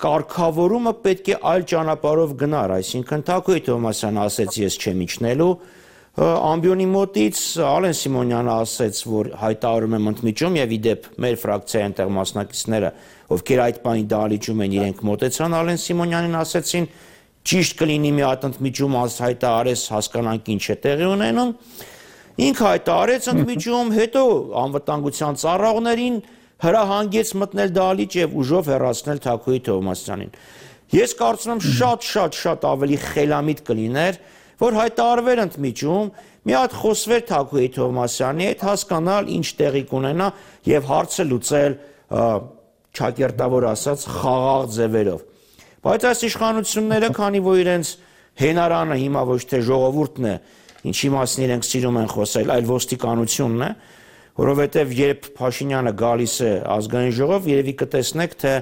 կարգավորումը պետք է այլ ճանապարհով գնար, այսինքն Թակուհի Թովմասյանը ասեց, ես չեմ իջնելու, ամբիոնի մոտից Ալեն Սիմոնյանը ասեց, որ հայտարարում եմ ընդմիջում եւ իդեպ մեր ֆրակցիայի այնտեղ մասնակիցները, ովքեր այդ բանի դահլիճում են, իրենք մոտեցան Ալեն Սիմոնյանին, ասեցին, ճիշտ կլինի մի հատ ընդմիջում հայտարարես, հասկանանք ինչ է տեղի ունենում։ Ինքը հայտարարեց ընդմիջում, հետո անվտանգության ծառայողներին հրահանգեց մտնել դահլիճ եւ ուժով հեռացնել Թակուհի Թովմասյանին։ Ես կարծում եմ շատ ավելի խելամիտ կլիներ, որ հայտարարվեր ընդմիջում, մի հատ խոսվեր Թակուհի Թովմասյանի հետ, հասկանալ ինչ տեղի կունենա եւ հարցը լուծել ճակերտավոր ասած խաղաղ ձևերով։ Բայց այս իշխանությունները, քանի որ իրենց հենարանը հիմա ոչ թե ժողովուրդն է, ինչի մասին իրենք սիրում են խոսել, այլ ոստիկանությունն է, որովհետեւ երբ Փաշինյանը գալիս է ազգային ժողով, երևի կտեսնեք, թե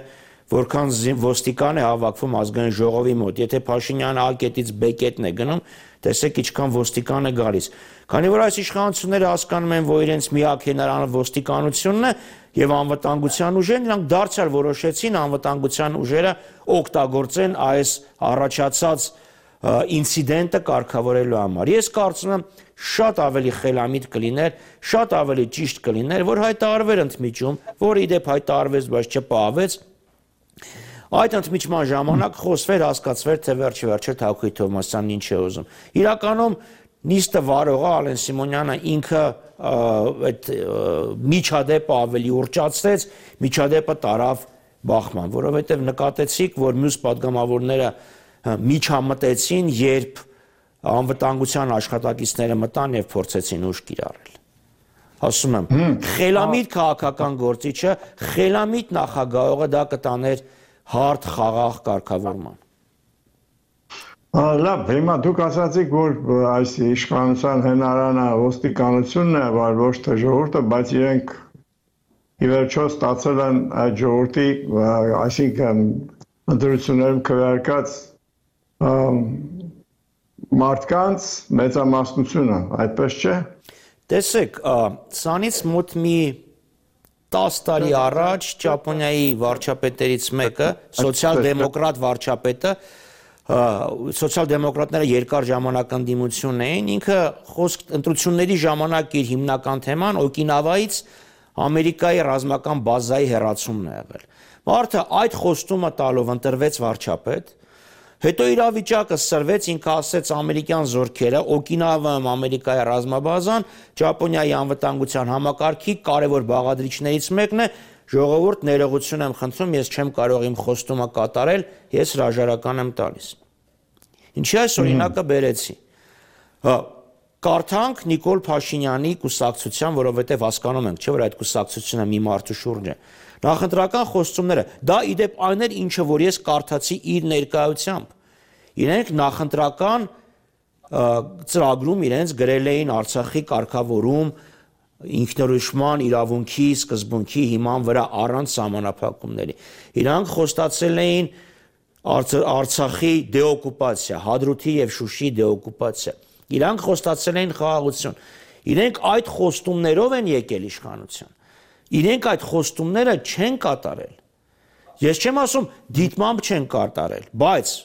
որքան ոստիկան է հավաքվում ազգային ժողովի մոտ։ Եթե Փաշինյանը A կետից B կետն է գնում, տեսեք ինչքան ոստիկան է գալիս։ Քանի որ այս իշխանությունները հասկանում են, որ իրենց միակ հենարանը ոստիկանությունն է եւ անվտանգության ուժերն, նրանք դարձյալ որոշեցին անվտանգության ուժերը օգտագործեն այս առաջացած ինցիդենտը կարգավորելու համար։ Ես կարծում եմ շատ ավելի խելամիտ կլիներ, շատ ավելի ճիշտ կլիներ, որ հայտարարվեր ընդմիջում, որ իդեպ հայտարարվեց, բայց չպահվեց։ Այդ ընդմիջման ժամանակ խոսվեր, հասկացվեր, թե վերջը Թակուհի Թովմասյանն ինչ է ուզում։ Իրականում նիստը վարողը Ալեն Սիմոնյանը ինքը այդ միջադեպը ավելի ուռճացրեց, միջադեպը տարավ բախման, որովհետև նկատեցիք, որ մյուս պատգամավորները միջամտեցին, երբ անվտանգության աշխատակիցները մտան եւ փորձեցին ուժ կիրառել։ Ասում եմ, խելամիտ քաղաքական գործիչը, խելամիտ նախագահողը դա կտաներ հարթ խաղաղ կարգավորման։ Լավ, հիմա դուք ասացիք, որ այս իշխանության հենարանը ոստիկանությունն է, ոչ թե ժողովուրդը, բայց իրենք ի վերջո ստացել են այդ ժողովրդի, այսինքն ընտրություններում քվեարկած մարդկանց մեծամասնությունը, այդպես չէ։ Տեսեք, սանից մոտ մի 10 տարի առաջ Ճապոնիայի վարչապետերից մեկը, սոցիալ-դեմոկրատ վարչապետը, սոցիալ-դեմոկրատները երկար ժամանակ ընդդիմություն էին, ինքը ընտրությունների ժամանակ իր հիմնական թեման Օկինավայից Ամերիկայի ռազմական բազայի հեռացումն է եղել։ Մարդը այդ խոստումը տալով ընտրվեց վարչապետ, հետո իրավիճակը սրվեց, ինքը ասեց ամերիկյան զորքերը, Օկինավայում Ամերիկայի ռազմաբազան, Ճապոնիայի անվտանգության համակարգի կարևոր բաղադրիչներից մեկն է, ժողովուրդ ներողություն եմ խնդրում, ես չեմ կարող իմ խոստումը կատարել, ես հրաժարական եմ տալիս։ Ինչի այս օրինակը բերեցի։ Կարդանք Նիկոլ Փաշինյանի կուսակցության, որովհետև հասկանում ենք, չէ՞ որ այդ կուսակցությունը մի մարդու շուրջ է։ Նախընտրական խոստումները, դա իդեպ այն էր, ինչը որ ես կարդացի իր ներկայությամբ։ Իրենք նախընտրական ծրագրում իրենց գրել էին Արցախի կարգավորում ինքնորոշման իրավունքի սկզբունքի հիման վրա առանց սահմանափակումների։ Իրանք խոստացել էին Արցախի դեօկուպացիա, Հադրութի եւ Շուշիի դեօկուպացիա։ Իրանք խոստացել էին խաղաղություն։ Իրենք այդ խոստումներով են եկել իշխանության։ Իրենք այդ խոստումները չեն կատարել։ Ես չեմ ասում դիտմամբ չեն կատարել, բայց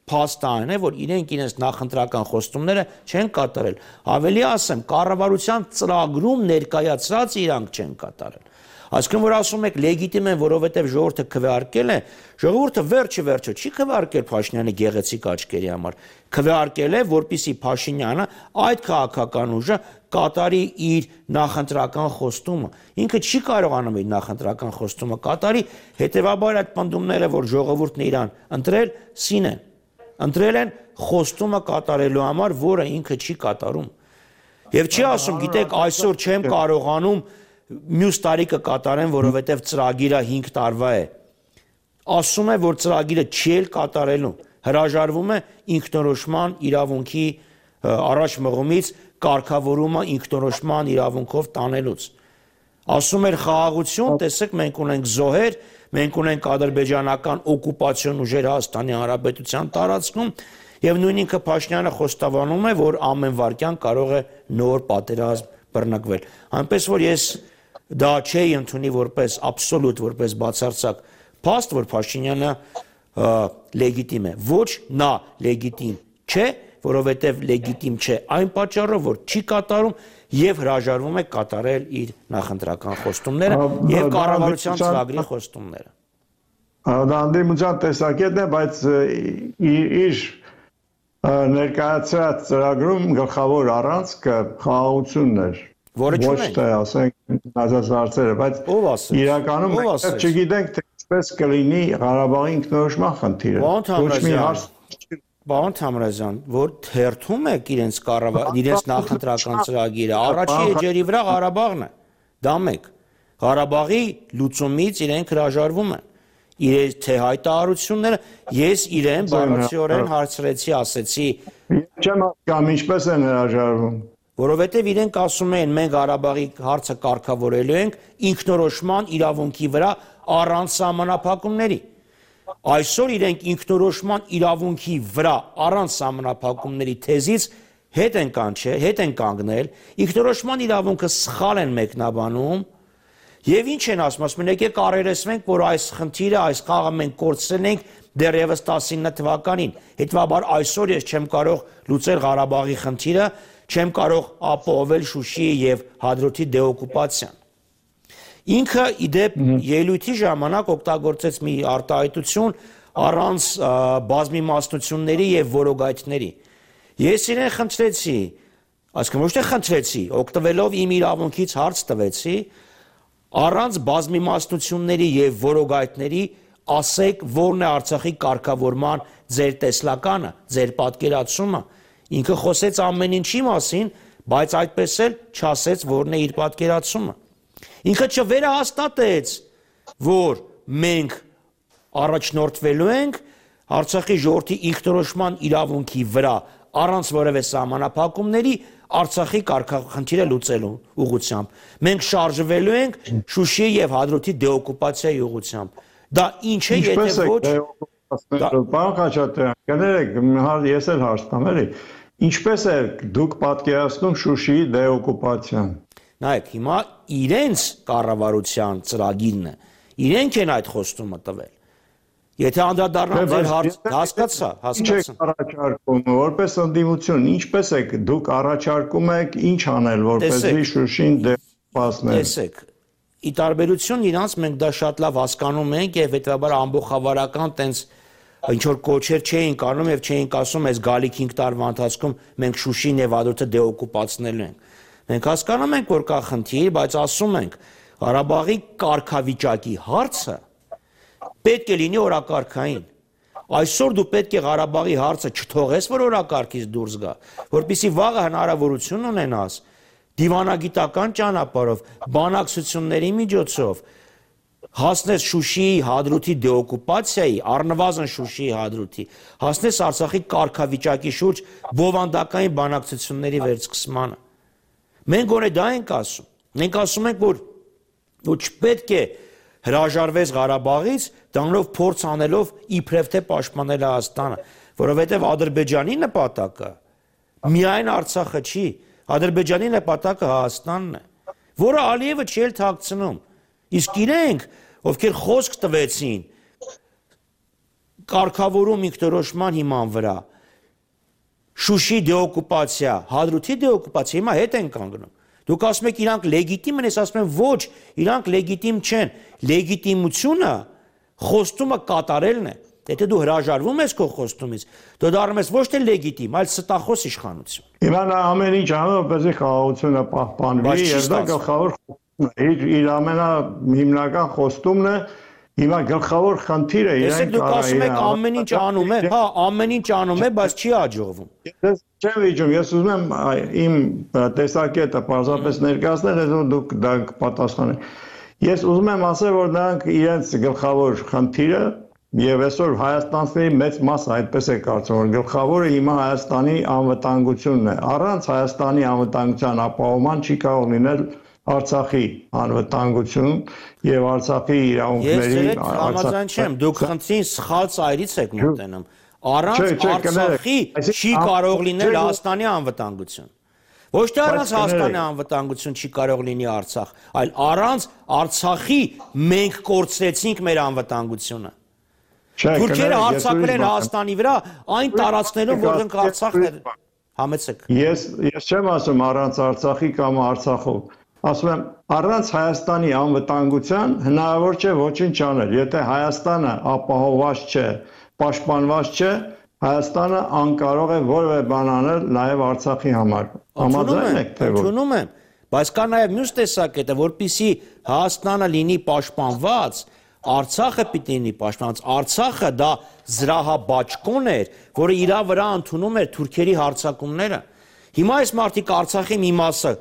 փաստը այն է, որ իրենք իրենց նախընտրական խոստումները չեն կատարել։ Ավելի ասեմ, կառավարության ծրագրում ներկայացրած իրանք չեն կատարել։ Այսինքն որ ասում եք լեգիտիմ են, որովհետև ժողովուրդը քվեարկել է, ժողովուրդը վերջը չի քվեարկել Փաշինյանի գեղեցիկ աչքերի համար, քվեարկել է, որպեսզի Փաշինյանը այդ քաղաքական ուժը կատարի իր նախընտրական խոստումը։ Ինքը չի կարողանում իր նախընտրական խոստումը կատարի, հետևաբար այդ պնդումները, որ ժողովուրդն իրան ընտրել, սին են։ Ընտրել են խոստումը կատարելու համար, որը ինքը չի կատարում։ Եվ չի ասում, գիտեք, այսօր չեմ կարողանում մյուս տարի կկատարեն, որովհետև ծրագիրը 5 տարվա է։ Ասում է, որ ծրագիրը չի էլ կատարելու, հրաժարվում է ինքնորոշման իրավունքի առաջ մղումից կարգավորումը ինքնորոշման իրավունքով տանելուց։ Ասում էր խաղաղություն, տեսեք, մենք ունենք զոհեր, մենք ունենք ադրբեջանական օկուպացիոն ուժեր Հայաստանի Հանրապետության տարածքում, եւ նույն ինքը Փաշինյանը խոստովանում է, որ ամեն վարքյան կարող է նոր պատերազմ բռնկվել։ Այնպես որ ես դա չէի ընդունի որպես աբսոլյուտ, որպես բացարձակ փաստ, որ Փաշինյանը լեգիտիմ է։ Ոչ նա լեգիտիմ չէ, որովհետև լեգիտիմ չէ այն պատճառով, որ չի կատարում եւ հրաժարվում է կատարել իր նախընտրական խոստումները եւ կառավարության ծրագրի խոստումները։ Դա անդրիմության տեսակետն է, բայց իր ներկայացրած ծրագրում գլխավոր առանցքը խաղաղությունն էր։ Որը չունենք։ Ոչ թե ասենք նազած հարցերը, բայց իրականում մենք չգիտենք թե ինչպես կլինի Ղարաբաղի ինքնորոշման խնդիրը։ Ոչ մի հարց Պարոն Թամրազյան, որ թերթում եք իրենց նախընտրական ծրագիրը, առաջի էջերի վրա Ղարաբաղն է, դա մեկ։ Ղարաբաղի լուծումից իրենք հրաժարվում են։ Իրենց թե հայտարարությունները, ես իրեն բառացիորեն հարցրեցի, ասեցի։ Չեմ հասկանում ինչպես են հրաժարվում։ Որովհետև իրենք ասում են, մենք Ղարաբաղի հարցը կարգավորելու ենք ինքնորոշման իրավունքի վրա առանց սահմանափակումների։ Այսօր իրենք ինքնորոշման իրավունքի վրա առանց սահմանափակումների թեզից հետ են կանգնել, ինքնորոշման իրավունքը սխալ են մեկնաբանում, եւ ինչ են ասում են, եկեք առերեսվենք, որ այս խնդիրը, այս խաղը մենք կորցրել ենք դեռևս 19 թվականին։ Հետևաբար այսօր ես չեմ կարող լուծել Ղարաբաղի խնդիրը, չեմ կարող ապահովել Շուշիի եւ Հադրութի դեօկուպացիան։ Ինքը իդեպ ելույթի ժամանակ օգտագործեց մի արտահայտություն առանց բազմիմասնությունների եւ որոգայթների։ Ես իրեն խնդրեցի, այսինքն ոչ թե խնդրեցի, օգտվելով իմ իրավունքից հարց տվեցի, առանց բազմիմասնությունների եւ որոգայթների ասեք, որն է Արցախի կարգավորման ձեր տեսլականը, ձեր պատկերացումը։ Ինքը խոսեց ամեն ինչի մասին, բայց այդպես էլ չասեց, որն է իր պատկերացումը։ Ինքը չվերահաստատեց, որ մենք առաջնորդվելու ենք Արցախի ժողովրդի ինքնորոշման իրավունքի վրա առանց որևէ սահմանափակումների Արցախի կարգախնդիրը լուծելու ուղղությամբ։ Մենք շարժվելու ենք Շուշիի եւ Հադրութի դեօկուպացիայի ուղղությամբ։ Դա ինչ է, եթե ոչ։ Պարոն Խաչատրյան, կներեք, ես էլ հարց տամ, էլի։ Ինչպես է դուք պատկերացնում Շուշիի դեօկուպացիան։ Նայեք, հիմա իրենց կառավարության ծրագիրն է, իրենք են այդ խոստումը տվել։ Եթե անդրադառնամ ձեր հարցը, հասկացա։ Ինչ եք առաջարկում, որպես ընդդիմություն, ինչպես եք դուք առաջարկում եք ինչ անել, որպեսզի Շուշին դեպասնել։ Տեսեք, ի տարբերություն իրանց մենք դա շատ լավ հասկանում ենք եւ հետեւաբար ամբողջավարական տենց ինչ որ կոչեր չէինք անում եւ չէինք ասում, այս գալիք 5 տարվա ընթացքում մենք Շուշին եւ Հադրութը դեօկուպացնելու ենք։ Մենք հասկանում ենք, որ կա խնդիր, բայց ասում ենք, Ղարաբաղի կարգավիճակի հարցը պետք է լինի օրակարգային։ Այսօր դու պետք է Ղարաբաղի հարցը չթողես, որ օրակարգից դուրս գա, որպեսզի վաղը հնարավորություն ունենաս դիվանագիտական ճանապարհով, բանակցությունների միջոցով հասնես Շուշիի հադրութի դեօկուպացիայի, առնվազն Շուշիի հադրութի, հասնես Արցախի կարգավիճակի շուրջ բովանդակային բանակցությունների վերսկսմանը։ Մենք գոնե դա ենք ասում։ Մենք ասում ենք, որ չպետք է հրաժարվես Ղարաբաղից, դրանով փորձ անելով իբրև թե պաշտպանել Հայաստանը, որովհետև Ադրբեջանի նպատակը միայն Արցախը չի, Ադրբեջանի նպատակը Հայաստանն է, որը Ալիևը չի էլ թաքցնում։ Իսկ իրենք, ովքեր խոսք տվեցին կարգավորում ինքնորոշման հիման վրա, Շուշի դեօկուպացիա, Հադրութի դեօկուպացիա, հիմա հետ են կանգնում։ Դուք ասում եք իրանք լեգիտիմ են, ես ասում եմ ոչ, իրանք լեգիտիմ չեն։ Լեգիտիմությունը խոստումը կատարելն է։ Եթե դու հրաժարվում ես քո խոստումից, դու դառնում ես ոչ թե լեգիտիմ, այլ ստախոս իշխանություն։ Հիմա նա ամեն ինչ անում, որպեսզի խաղաղությունը պահպանվի, եւ դա գլխավոր իր ամենահիմնական խոստումն է։ Հիմա գլխավոր խնդիրը իրենք դուք ասում եք ամեն ինչ անում է, հա, ամեն ինչ անում է, բայց չի հաջողվում։ Ես չեմ վիճում, ես ուզում եմ իմ տեսակետը պարզապես ներկայացնել, հետո դուք դա կպատասխանեք։ Ես ուզում եմ ասել, որ նրանք իրենց գլխավոր խնդիրը եւ այսօր հայաստանցիների մեծ մասը այդպես է կարծում, որ գլխավորը հիմա Հայաստանի անվտանգությունն է։ Առանց Հայաստանի անվտանգության ապահովման չի կարող լինել Արցախի անվտանգություն եւ Արցախի իրավունքների համաձայն չեմ, դուք խնդրին սխալ ծայրից եք մոտենում։ Առանց Արցախի չի կարող լինել Հայաստանի անվտանգություն։ Ոչ թե առանց Հայաստանի անվտանգություն չի կարող լինի Արցախ, այլ առանց Արցախի մենք կորցրեցինք մեր անվտանգությունը։ Թուրքերը հարձակվել են Հայաստանի վրա այն տարածքներում, որոնք Արցախն է։ Համեցեք։ Ես չեմ ասում առանց Արցախի կամ Արցախով։ Ասում եմ, առանց Հայաստանի անվտանգության հնարավոր չէ ոչինչ անել։ Եթե Հայաստանը ապահովված չէ, պաշտպանված չէ, Հայաստանը անկարող է որևէ բան անել նաև Արցախի համար։ Համաձայն եք թե ոչ։ Ընդունում եմ, բայց կա նաև մյուս տեսակետը, որպեսզի Հայաստանը լինի պաշտպանված, Արցախը պիտի լինի պաշտպանված։ Արցախը դա զրահաբաճկոն էր, որը իր վրա ընդունում էր թուրքերի հարձակումները։ Հիմա այս մարդիկ Արցախի մի մասը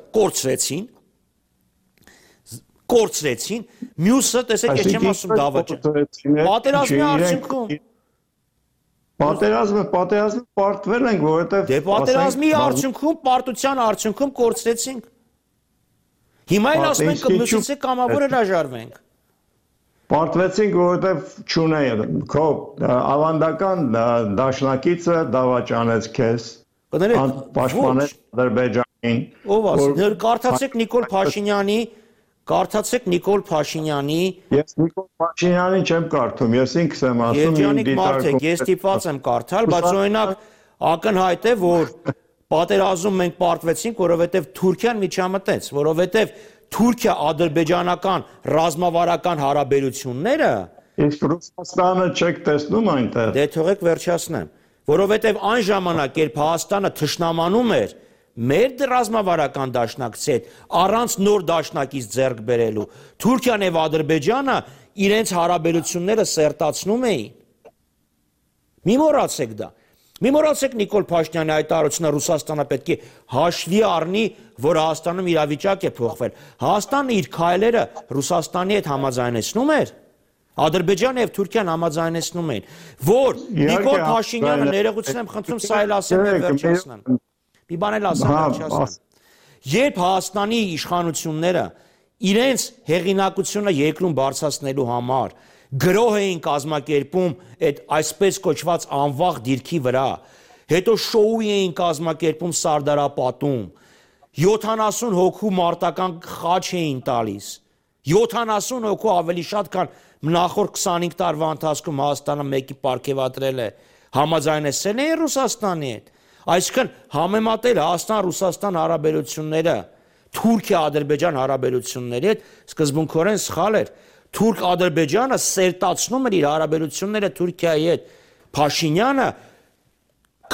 կորցրեցին, մյուսը, տեսեք, ես չեմ ասում դավաճը։ Պատերազմի արդյունքում։ Պատերազմը պարտվել ենք, որովհետև դե պատերազմի արդյունքում, պարտության արդյունքում կորցրեցինք։ Հիմա էլ ասում ենք մյուսից կամավոր հրաժարվենք։ Պարտվեցինք, որովհետև չունեի քո ավանդական դաշնակիցը դավաճանեց քեզ, պաշտպանեց Ադրբեջանին։ Ով ասում, կարդացեք Նիկոլ Փաշինյանի Ես Նիկոլ Փաշինյանին չեմ կարդում, ես ինքս եմ ասում Երջանիկ մարդ եք, ես ստիպված եմ կարդալ, բայց օրինակ ակնհայտ է, որ պատերազմում մենք պարտվեցինք, որովհետև Թուրքիան միջամտեց, որովհետև Թուրքիա-ադրբեջանական ռազմավարական հարաբերությունները Իսկ Ռուսաստանը չեք տեսնում այնտեղ։ Դե թողեք վերջացնեմ, որովհետև այն ժամանակ, երբ Հայաստանը թշնամանում էր մեր ռազմավարական դաշնակցի հետ առանց նոր դաշնակից ձեռք բերելու, Թուրքիան եւ Ադրբեջանը իրենց հարաբերությունները սերտացնում էին։ Մի մոռացեք դա։ Մի մոռացեք Նիկոլ Փաշինյանի հայտարարությունը Ռուսաստանը պետք է հաշվի առնի, որ Հայաստանում իրավիճակ է փոխվել։ Հայաստանը իր քայլերը Ռուսաստանի հետ համաձայնեցնում էր, Ադրբեջանը եւ Թուրքիան համաձայնեցնում էին, որ Նիկոլ Փաշինյանը ներողություն եմ խնդրում, սա էլ ասեմ եւ վերջացնեմ։ Մի բան էլ ասեմ վերջացնեմ։ Երբ Հայաստանի իշխանությունները իրենց հեղինակությունը երկրում բարձրացնելու համար գրոհ էին կազմակերպում այդ այսպես կոչված անվաղ դիրքի վրա, հետո շոու էին կազմակերպում Սարդարապատում, 70 հոգու մարտական խաչ էին տալիս, 70 հոգու ավելի շատ, քան նախորդ 25 տարվա ընթացքում Հայաստանը մեկի պարգևատրել է, համաձայնեցել էին Ռուսաստանի հետ, այսինքն համեմատել Հայաստան-Ռուսաստան հարաբերությունները Թուրքիա-Ադրբեջան հարաբերությունների հետ սկզբունքորեն սխալ էր։ Թուրք-Ադրբեջանը սերտացնում էր իր հարաբերությունները Թուրքիայի հետ։ Փաշինյանը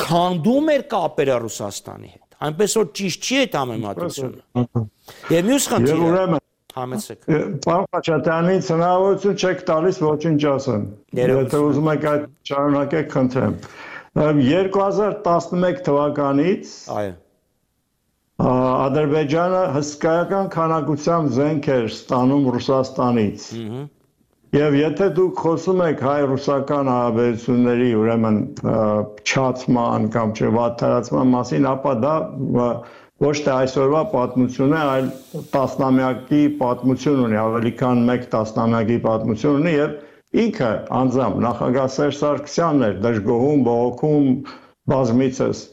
քանդում էր կապերը Ռուսաստանի հետ։ Այնպես որ ճիշտ չի այդ համեմատությունը։ Եվ մյուս խնդիրը, Համեցեք։ Պարոն Խաչատրյանից հնարավորություն չեք տալիս ոչինչ ասեմ։ Եթե ուզում եք այդ շարունակեք, խնդրեմ։ 2011 թվականից Այո։ Ադրբեջանը հսկայական քանակությամբ զենք էր ստանում Ռուսաստանից։ Եվ եթե դուք խոսում եք հայ-ռուսական հարաբերությունների, ուրեմն չացման կամ վատթարացման մասին, ապա դա ոչ թե այսօրվա պատմություն է, այլ տասնամյակի պատմություն ունի, ավելի քան 1 տասնամյակի պատմություն ունի եւ ինքը անձամբ նախագահ Սերժ Սարգսյանն էր դժգոհում, բողոքում բազմիցս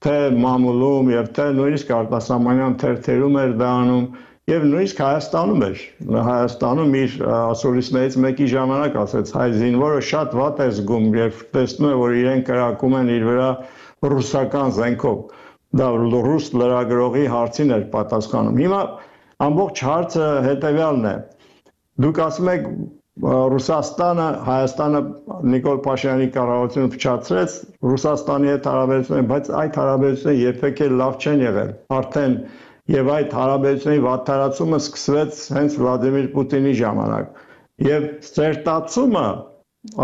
թե մամուլում եւ թե նույնիսկ արտասահմանյան թերթերում էր դա անում եւ նույնիսկ Հայաստանում էր։ Հայաստանում իր ասորիստներից մեկի ժամանակ ասեց հայ զինվորը շատ վատ է զգում, երբ տեսնում է, որ իրեն կրակում են իր վրա ռուսական զենքով։ Դա ռուս լրագրողի հարցին էր պատասխանում։ Հիմա ամբողջ հարցը հետեւյալն է։ Դուք ասում եք Ռուսաստանը, Հայաստանը Նիկոլ Փաշինյանի կառավարությունը փչացրեց Ռուսաստանի հետ հարաբերությունները, բայց այդ հարաբերությունները երբեք էլ լավ չեն եղել։ Արդեն եւ այդ հարաբերությունների վատթարացումը սկսվեց հենց Վլադիմիր Պուտինի ժամանակ։ Եվ սերտացումը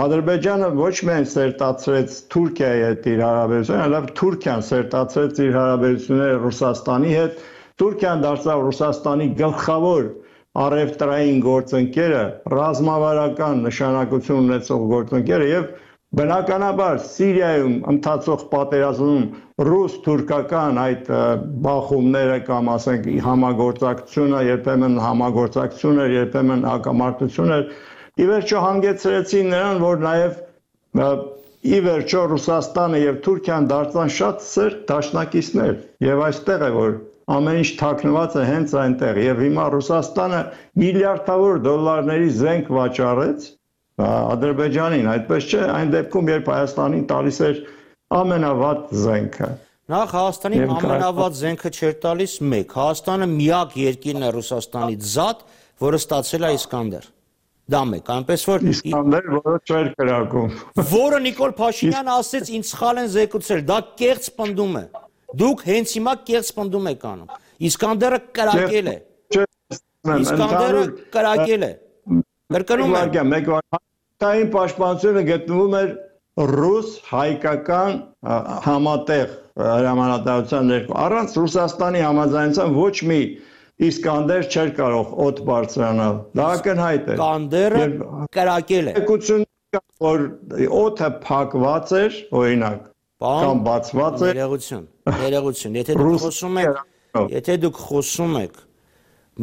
Ադրբեջանը ոչ միայն սերտացրեց Թուրքիայի հետ իր հարաբերությունները, այլև Թուրքիան սերտացրեց իր հարաբերությունները Ռուսաստանի հետ։ Թուրքիան դարձավ Ռուսաստանի գլխավոր առևտրային գործընկերը, ռազմավարական նշանակություն ունեցող գործընկերը եւ բնականաբար Սիրիայում ընթացող պատերազմում ռուս-թուրքական այդ բախումները կամ ասենք համագործակցությունը, երբեմն համագործակցությունը, երբեմն հակամարտությունը ի վերջո հանգեցրեցին նրան, որ նաև ի վերջո Ռուսաստանը եւ Թուրքիան դարձան շատ սերտ դաշնակիցներ եւ այստեղ է որ ամեն ինչ թաքնված է հենց այնտեղ եւ հիմա Ռուսաստանը միլիարդավոր դոլարների զենք վաճառեց Ադրբեջանին, այդպես չէ, այն դեպքում երբ Հայաստանին տալիս էր ամենավատ զենքը։ Նախ Հայաստանին ամենավատ զենքը չէր տալիս մեկ։ Հայաստանը միակ երկիրն է Ռուսաստանից զատ, որը ստացել է Իսկանդեր։ Դա մեկ, այնպես որ Իսկանդեր, որը չէր կրակում։ Որը Նիկոլ Փաշինյանը ասեց ինձ սխալ են զեկուցել, դա կեղծ պնդում է։ Դուք հենց հիմա կեղծ պնդում եք անում։ Իսկանդերը կրակել է։ Իսկանդերը կրակել է։ Կրկնում եմ։ Մեկ վարքային պաշտպանությունը գտնվում էր ռուս հայկական համատեղ հրամանատարության ներքո։ Առանց Ռուսաստանի համաձայնության ոչ մի Իսկանդեր չէր կարող օդ բարձրանալ։ Դա ակնհայտ է։ Իսկանդերը կրակել է։ Եկություն որ օդը փակված էր, օրինակ, կամ բացված էր։ Ներողություն, եթե դուք խոսում եք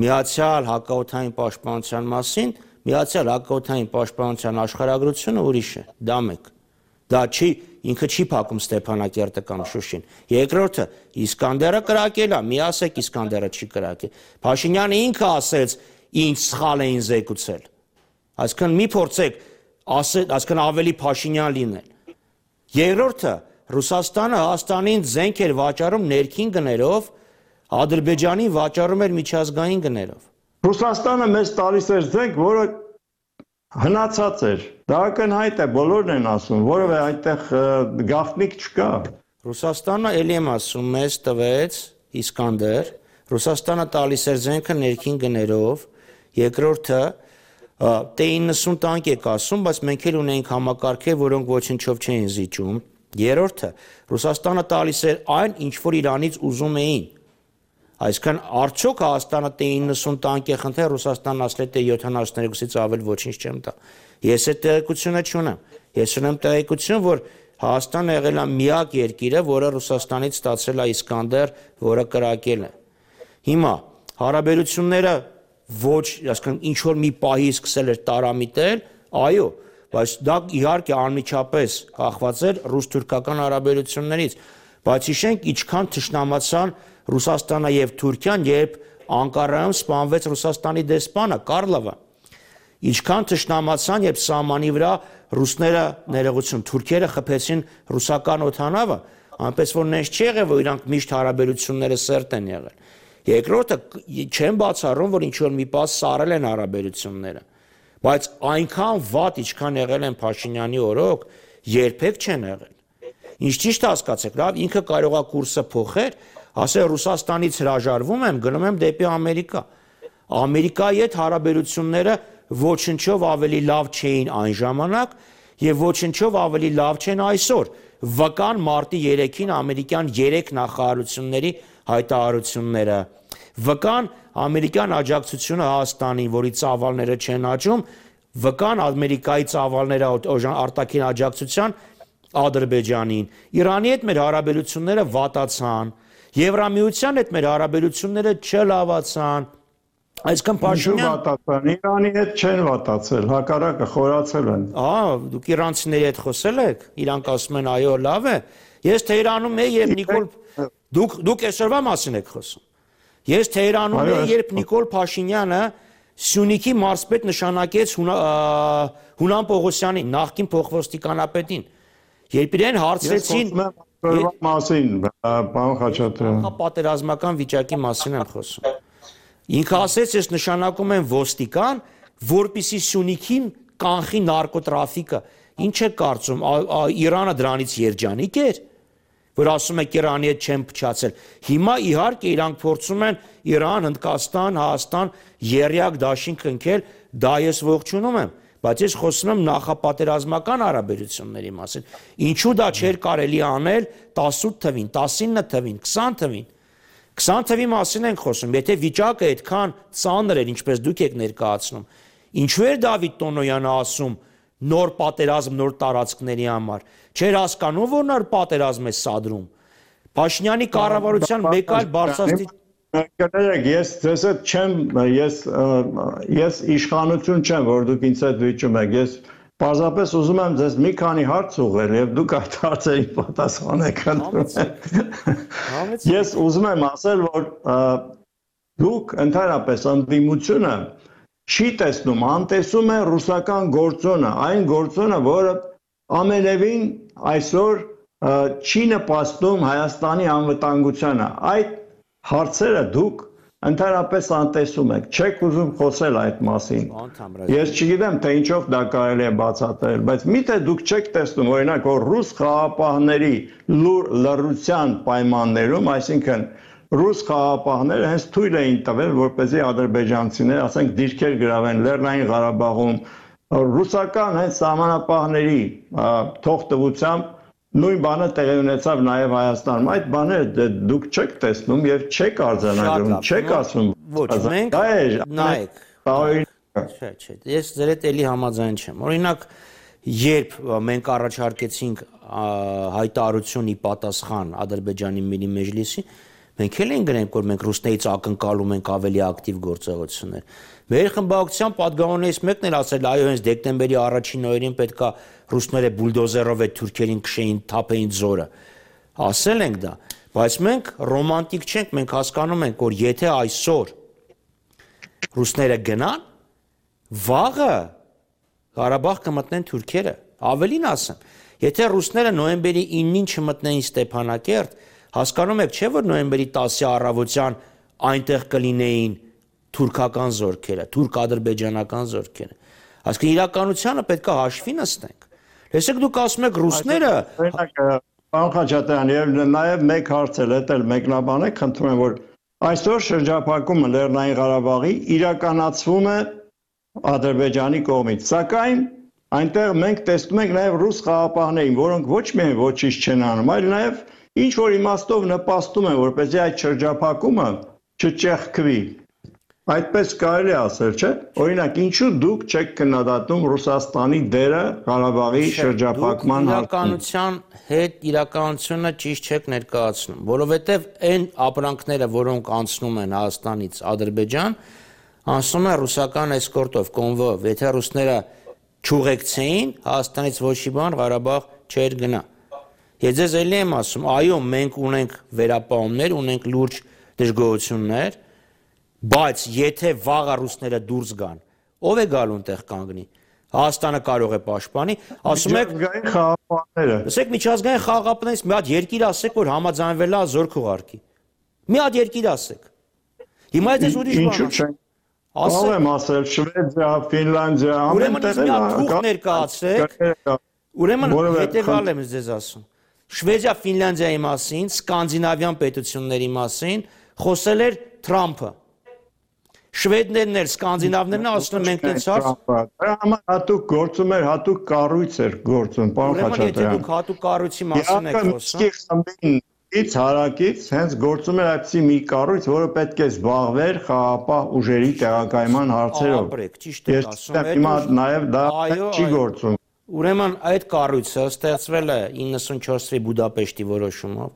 Միացյալ հակաօդային պաշտպանության մասին, Միացյալ հակաօդային պաշտպանության աշխարհագրությունը ուրիշ է, դա մեկ։ Դա չի, ինքը չի փակում Ստեփանակերտը կամ Շուշին։ Երկրորդը, Իսկանդերը կրակել է, մի ասեք Իսկանդերը չի կրակել։ Փաշինյանը ինքը ասեց, ինձ սխալ էին զեկուցել։ Այսինքն մի փորձեք այսինքն ավելի Փաշինյան լինել։ Երկրորդը, Ռուսաստանը Հայաստանին զենք էր վաճառում ներքին գներով, Ադրբեջանին վաճառում էր միջազգային գներով։ Ռուսաստանը մեզ տալիս էր զենք, որը հնացած էր։ Դա ակնհայտ է, բոլորն են ասում, որովհետև այնտեղ գաղտնիք չկա։ Ռուսաստանը ելի եմ ասում, մեզ տվեց Իսկանդեր, Ռուսաստանը տալիս էր զենքը ներքին գներով, երկրորդը T-90 տանկ եք ասում, բայց մենք էլ ունենք համակարգեր, որոնք ոչնչով չէին զիջում։ Երրորդը Ռուսաստանը տալիս էր այն, ինչ որ Իրանից ուզում էին։ Այսինքն արդյոք Հայաստանը T-90 տանկ է խնդրել, Ռուսաստանն ասել է T-72-ից ավել ոչինչ չեմ տա։ Ես այդ տեղեկությունը չունեմ։ Ես ունեմ տեղեկություն, որ Հայաստանը եղել է միակ երկիրը, որը Ռուսաստանից ստացել է Իսկանդեր, որը կրակել է։ Հիմա հարաբերությունները ոչ, այսինքն ինչ որ մի պահի սկսել էր տարամիտել, այո, բայց դա իհարկե անմիջապես կախված էր ռուս-թուրքական հարաբերություններից, բայց հիշենք ինչքան թշնամացան Ռուսաստանը եւ Թուրքիան, երբ Անկարայում սպանվեց Ռուսաստանի դեսպանը Կարլովը։ Ինչքան թշնամացան, երբ սահմանի վրա ռուսները ներողություն, թուրքերը խփեցին ռուսական օդանավը, այնպես որ նենց չի եղել, որ իրանք միշտ հարաբերությունները սերտ են եղել։ Երկրորդը չեմ բացառում, որ ինչ որ մի պահ սառել են հարաբերությունները, բայց այնքան վատ ինչքան եղել են Փաշինյանի օրոք, երբեք չեն եղել։ Ինչ ճիշտ հասկացեք, լավ, ինքը կարողա կուրսը փոխել, ասել Ռուսաստանից հրաժարվում եմ, գնում եմ դեպի Ամերիկա։ Ամերիկայի հետ հարաբերությունները ոչնչով ավելի լավ չէին այն ժամանակ եւ ոչնչով ավելի լավ չեն այսօր։ Վկան մարտի 3-ին ամերիկյան 3 նախարարությունների հայտարարությունները, վկան ամերիկյան աջակցությունը Հայաստանին, որի ծավալները չեն աճում, վկան Ամերիկայի ծավալները արտաքին աջակցության Ադրբեջանին, Իրանի հետ մեր հարաբերությունները վատացան, Եվրամիության հետ մեր հարաբերությունները չլավացան, այսքան Փաշինյան վատացան, Իրանի հետ չեն վատացել, հակառակը խորացել են։ Դուք իրանցիների հետ խոսել եք, իրանք ասում են այո, լավ է։ Ես Թեհրանում եի, երբ Նիկոլ դուք այսօրվա մասին եք խոսում։ Ես Թեհրանում եի, երբ Նիկոլ Փաշինյանը Սյունիքի մարզպետ նշանակեց Հունան Պողոսյանին, նախկին փոխոստիկանապետին։ Երբ իրեն հարցրեցին մասին, պարոն Խաչատրյան, պատերազմական վիճակի մասին եմ խոսում։ Ինքը ասեց, ես նշանակում եմ ոստիկան, որպեսզի Սյունիքին կանխի նարկոտրաֆիկը։ Ինչ է կարծում, Իրանը դրանից երջանիկ էր, որ ասում եք Իրանի հետ չեն փչացել։ Հիմա իհարկե իրանք փորձում են Իրան, Հնդկաստան, Հայաստան եռյակ դաշինք ընկել, դա ես ողջունում եմ, բայց ես խոսում եմ նախապատերազմական հարաբերությունների մասին։ Ինչու դա չէր կարելի անել 18 թվին, 19 թվին, 20 թվին։ 20 թվի մասին ենք խոսում, եթե վիճակը այդքան ծանր էր, ինչպես դուք եք ներկայացնում, ինչու էր Դավիթ Տոնոյանը ասում նոր պատերազմ, նոր տարածքների համար։ Չէր հասկանում, որ նոր պատերազմ է սադրում։ Փաշինյանի կառավարության մեկ այլ բարձրաստիճան Կներեք, ես ձեզ հետ չեմ, ես իշխանություն չեմ, որ դուք ինձ հետ վիճում եք, ես պարզապես ուզում եմ ձեզ մի քանի հարց ուղղել և դուք այդ հարցերին պատասխանեք ընդունել։ Ես ուզում եմ ասել, որ դուք ընդհանրապես ընդդիմությունը չի տեսնում, անտեսում է ռուսական գործոնը, այն գործոնը, որը ամենևին այսօր չի նպաստում Հայաստանի անվտանգությանը, այդ հարցերը դուք ընդհանրապես անտեսում եք, չեք ուզում խոսել այդ մասին։ Ես չգիտեմ, թե ինչով դա կարելի է բացատրել, բայց միթե դուք չեք տեսնում, օրինակ, որ ռուս խաղաղապահների լռության պայմաններում, այսինքն ռուս խաղաղապահները հենց թույլ էին տվել, որպեսզի ադրբեջանցիները, ասենք, դիրքեր գրավեն Լեռնային Ղարաբաղում, ռուսական հենց սահմանապահների թողտվությամբ նույն բանը տեղի ունեցավ նաև Հայաստանում։ Այդ բաները դուք չեք տեսնում եւ չեք արձանագրում, չեք ասում։ Ոչ, մենք նայեք։ Չէ, ես ձեր հետ էլի համաձայն չեմ։ Օրինակ, երբ մենք առաջարկեցինք հայտարարությունի պատասխան Ադրբեջանի Միլի Մեջլիսի, մենք էլ ենք գրենք, որ մենք ռուսներից ակնկալում ենք ավելի ակտիվ գործողություններ։ Մեր խմբակցության պատգամավորներից մեկն էլ ասել, այո, հենց դեկտեմբերի 1-ին օրերին պետքա ռուսները բուլդոզերով այդ թուրքերին քշեին, թափեին ձորը։ Ասել ենք դա, բայց մենք ռոմանտիկ չենք, մենք հասկանում ենք, որ եթե այսօր ռուսները գնան, վաղը Ղարաբաղ կմտնեն թուրքերը, ավելին ասեմ, եթե ռուսները նոյեմբերի 9-ին չմտնեին Ստեփանակերտ, հասկանում եք, չէ՞ որ նոյեմբերի 10-ի առավոտյան այնտեղ կլինեին թուրքական զորքերը, թուրք-ադրբեջանական զորքերը։ Այսինքն իրականությանը պետք է հաշվի նստենք։ Տեսեք, դուք ասում եք ռուսները, պարոն Խաչատրյան, եւ նաեւ մեկ հարց էլ էտել մեկնաբանեք, խնդրում եմ, որ այսօր շրջափակումը Լեռնային Ղարաբաղի իրականացվում է Ադրբեջանի կողմից, սակայն այնտեղ մենք տեսնում ենք նաեւ ռուս խաղաղապահներին, որոնք ոչ միայն ոչինչ չեն անում, այլ նաեւ ինչ որ իմաստով նպաստում են, որպեսզի այդ շրջափակումը չճեղքվի։ Այդպես կարելի ասել, չէ՞։ Օրինակ, ինչու դուք չեք քննադատում Ռուսաստանի դերը Ղարաբաղի շրջափակման իրականության հետ իրականությունը ճիշտ չեք ներկայացնում, որովհետև այն ապրանքները, որոնք անցնում են Հայաստանից Ադրբեջան, անցնում են ռուսական էսկորտով, կոնվոյով։ Եթե ռուսները չուղեկցեին, Հայաստանից ոչի բան Ղարաբաղ չէր գնա։ Ես ձեզ էլի եմ ասում, այո, մենք ունենք վերապահումներ, ունենք լուրջ դժգոհություններ, բայց եթե վաղը ռուսները դուրս գան, ով է գալու այնտեղ կանգնի։ Հայաստանը կարող է պաշտպանի, ասում եք միջազգային խաղաղապահները։ Ասեք միջազգային խաղաղապահներից մի հատ երկիր ասեք, որ համաձայնվել է զորք ուղարկի։ Մի հատ երկիր ասեք։ Հիմա ես ուրիշ բան ասեմ։ Ով եմ ասել Շվեդիա, Ֆինլանդիա, ամեն տեղ թուղթ ներկայացրեք։ Ուրեմն հետևյալ եմ ձեզ ասում։ Շվեդիա, Ֆինլանդիայի մասին, սկանդինավյան պետությունների մասին խոսել էր Թրամփը։ Շվեդներն էլ, սկանդինավներն էլ ասում են մենք տենց հարց։ Դրա համար հատուկ գործում էր, հատուկ կառույց էր գործում, պարոն Խաչատրյան։ Եթե դուք հատուկ կառույցի մասին եք խոսում։Ից հարակից հենց գործում էր այդպիսի մի կառույց, որը պետք է զբաղվեր խաղապահ ուժերի տեղակայման հարցերով։ Ապրեք, ճիշտ եք ասում։ Հիմա նաև դա չի գործում։ Ուրեմն այդ կառույցը ստեղծվել է 94 թվականի Բուդապեշտի որոշումով,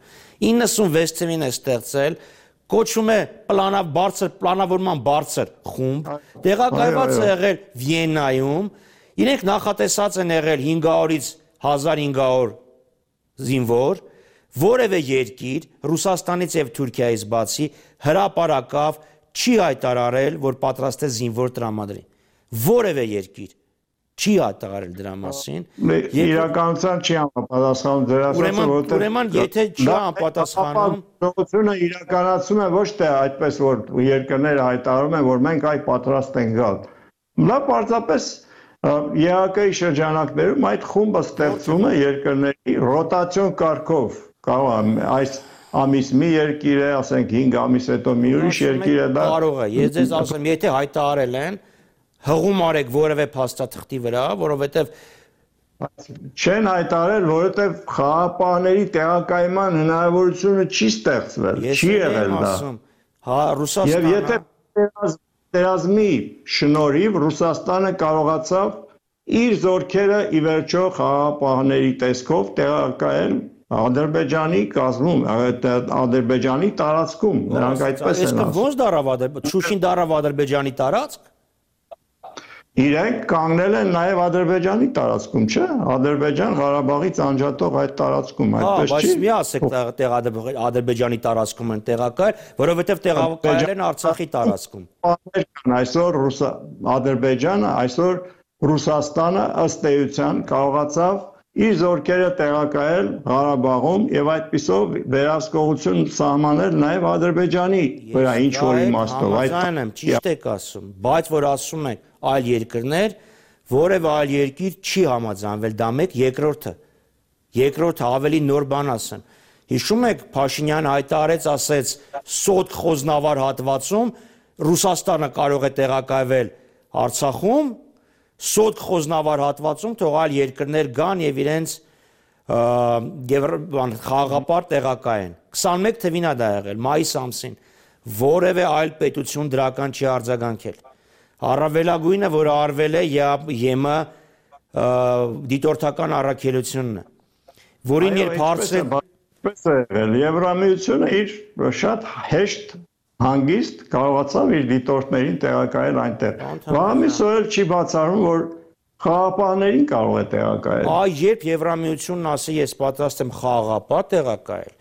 96 թվականին է ստեղծել, կոչվում է պլանավորման բարձր խումբ, տեղակայված է եղել Վիեննայում, իրենք նախատեսած են եղել 500-ից 1500 զինվոր, որևէ երկիր Ռուսաստանից եւ Թուրքիայից բացի հրապարակավ չի հայտարարել, որ պատրաստ է զինվոր տրամադրի։ Որևէ երկիր չի հայտարարել դրա մասին։ Իրականության չի համապատասխանում դրա ասած, ուրեմն եթե չի համապատասխանում, գործողությունը իրականացում է ոչ թե այդպես, որ երկրները հայտարարում են, որ մենք այ պատրաստ ենք գալ։ Դա պարզապես ԵԱԿ-ի շրջանակներում այդ խումբը ստեղծվում է երկրների ռոտացիոն կարգով։ Կարող է այս ամիս մի երկիր է, ասենք 5 ամիս հետո մի ուրիշ երկիր է, դա կարող է։ Ես ձեզ ասեմ, եթե հայտարարել են, հղում արեք որևէ փաստաթղթի վրա, որովհետև չեն հայտարարել, որովհետև խաղապահների տեղակայման հնարավորությունը չի ստեղծվել, չի եղել դա։ Հա, Ռուսաստանը։ Եվ եթե պատերազմի շնորհիվ Ռուսաստանը կարողացավ իր զորքերը ի վերջո խաղապահների տեսքով տեղակայել Ադրբեջանի կազմում, Ադրբեջանի տարածքում, նրանք այդպես են ասում։ Ոնց դարավ Շուշին դարավ Ադրբեջանի տարածք։ Իրենք կանգնել են նաև Ադրբեջանի տարածքում, չէ՞։ Ադրբեջան Ղարաբաղից անջատող այդ տարածքում, այդպես չի։ Բայց մի ասեք Ադրբեջանի տարածքում են տեղակայել, որովհետև տեղակայել են Արցախի տարածքում։ Այսօր Ադրբեջանը, այսօր Ռուսաստանը ըստ էության կարողացավ իր զորքերը տեղակայել Ղարաբաղում եւ այդպիսով վերահսկողություն սահմանել նաեւ Ադրբեջանի վրա ինչ որ իմաստով։ Այդ եմ ճիշտ եք ասում, բայց որ ասում եք այլ երկրներ, որևէ այլ երկիր չի համաձայնվել, դա մեկ, երկրորդը ավելի նոր բան ասեմ։ Հիշում եք Փաշինյանը հայտարարեց, ասեց սոտ խոզնավար հատվածում Ռուսաստանը կարող է տեղակայվել Արցախում, սոտ խոզնավար հատվածում թող այլ երկրներ գան եւ իրենց խաղաղապար տեղակայեն։ 21 թվին է դա եղել, մայիս ամսին, որևէ այլ պետություն դրական չի արձագանքել։ Առավելագույնը, որ արվել է ԵՄ դիտորդական առաքելությունն է, որին երբ հարցրել Եվրամիությունը իր շատ հեշտ հանգիստ կարողացավ իր դիտորդներին տեղակայել այնտեղ։ Բամիսը չի բացառում, որ խաղապահներին կարող է տեղակայել։ Երբ Եվրամիությունն ասի ես պատրաստ եմ խաղապահ տեղակայել,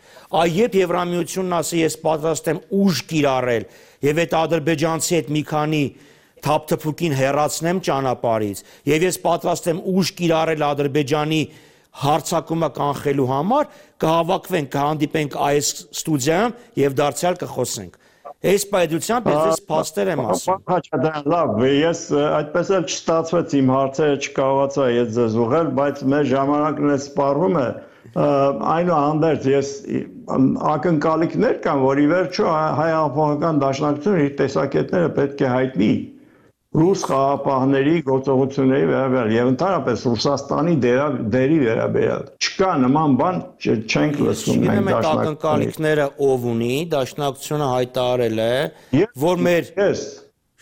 երբ Եվրամիությունն ասի ես պատրաստ եմ ուժ կիրառել եւ այդ ադրբեջանցի հետ մի քանի թափթփուկին հեռացնեմ ճանապարհից եւ ես պատրաստ եմ ուժ կիրառել Ադրբեջանի հարցակումը կանխելու համար, կհավաքվենք, կհանդիպենք այս ստուդիայում եւ դարձյալ կխոսենք։ Այս պայդությամբ ես փաստեր եմ ասում։ Խաչատրյան, լավ, ես այդպես էլ չստացվեց իմ հարցերը չկարողացա ես ձեզ ուղղել, բայց մեր ժամանակն է սպառվում է։ Այնուհանդերձ ես ակնկալիքներ կան, որ ի վերջո հայ հեղափոխական դաշնակցությունը իր տեսակետները պետք է հայտնի ռուս խաղապահների գործողությունների վերաբերյալ եւ ընդհանրապես Ռուսաստանի դերի վերաբերյալ։ Չկա նման բան, չենք լսում մենք դաշնակցությունների ակնկալիքները ով ունի, դաշնակցությունը հայտարարել է, որ մեր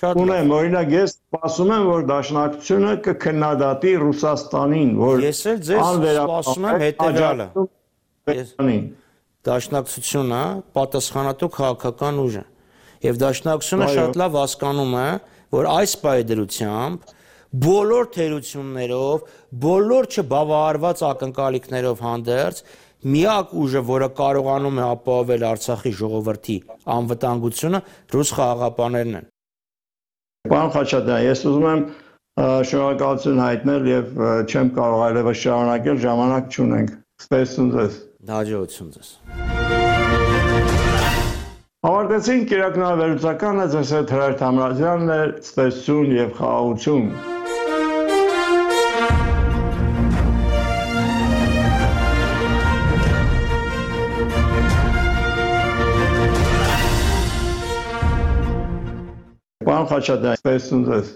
ունեմ, օրինակ ես սպասում եմ, որ դաշնակցությունը կքննադատի Ռուսաստանին, որ ես էլ ձեզ սպասում եմ հետեւյալը։ Դաշնակցությունը պատասխանատու քաղաքական ուժ է եւ դաշնակցությունը շատ լավ հասկանում է, որ այս պայդրությամբ բոլոր թերություններով, բոլոր չբավարարված ակնկալիքներով հանդերձ միակ ուժը, որը կարողանում է ապահովել Արցախի ժողովրդի անվտանգությունը, ռուս խաղաղապահներն են։ Պարոն Խաչատրյան, ես ուզում եմ շնորհակալություն հայտնել եւ չեմ կարող այլևս շարունակել, ժամանակ չունենք։ Ստեսություն ձեզ։ Հաջողություն ձեզ։ Ավարտեցին կիրակնավերուցականը, ձեզ հետ Հրայր Թամրազյանն է, ստեսություն եւ խաղաղություն։ Պարոն Պարոն Խաչատրյան, սպասում ձեզ։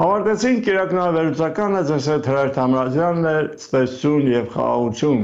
Ավարտեցին կիրակնավերուցականը, ձեզ հետ Հրայր Թամրազյանն էր, սպասություն եւ խաղաղություն։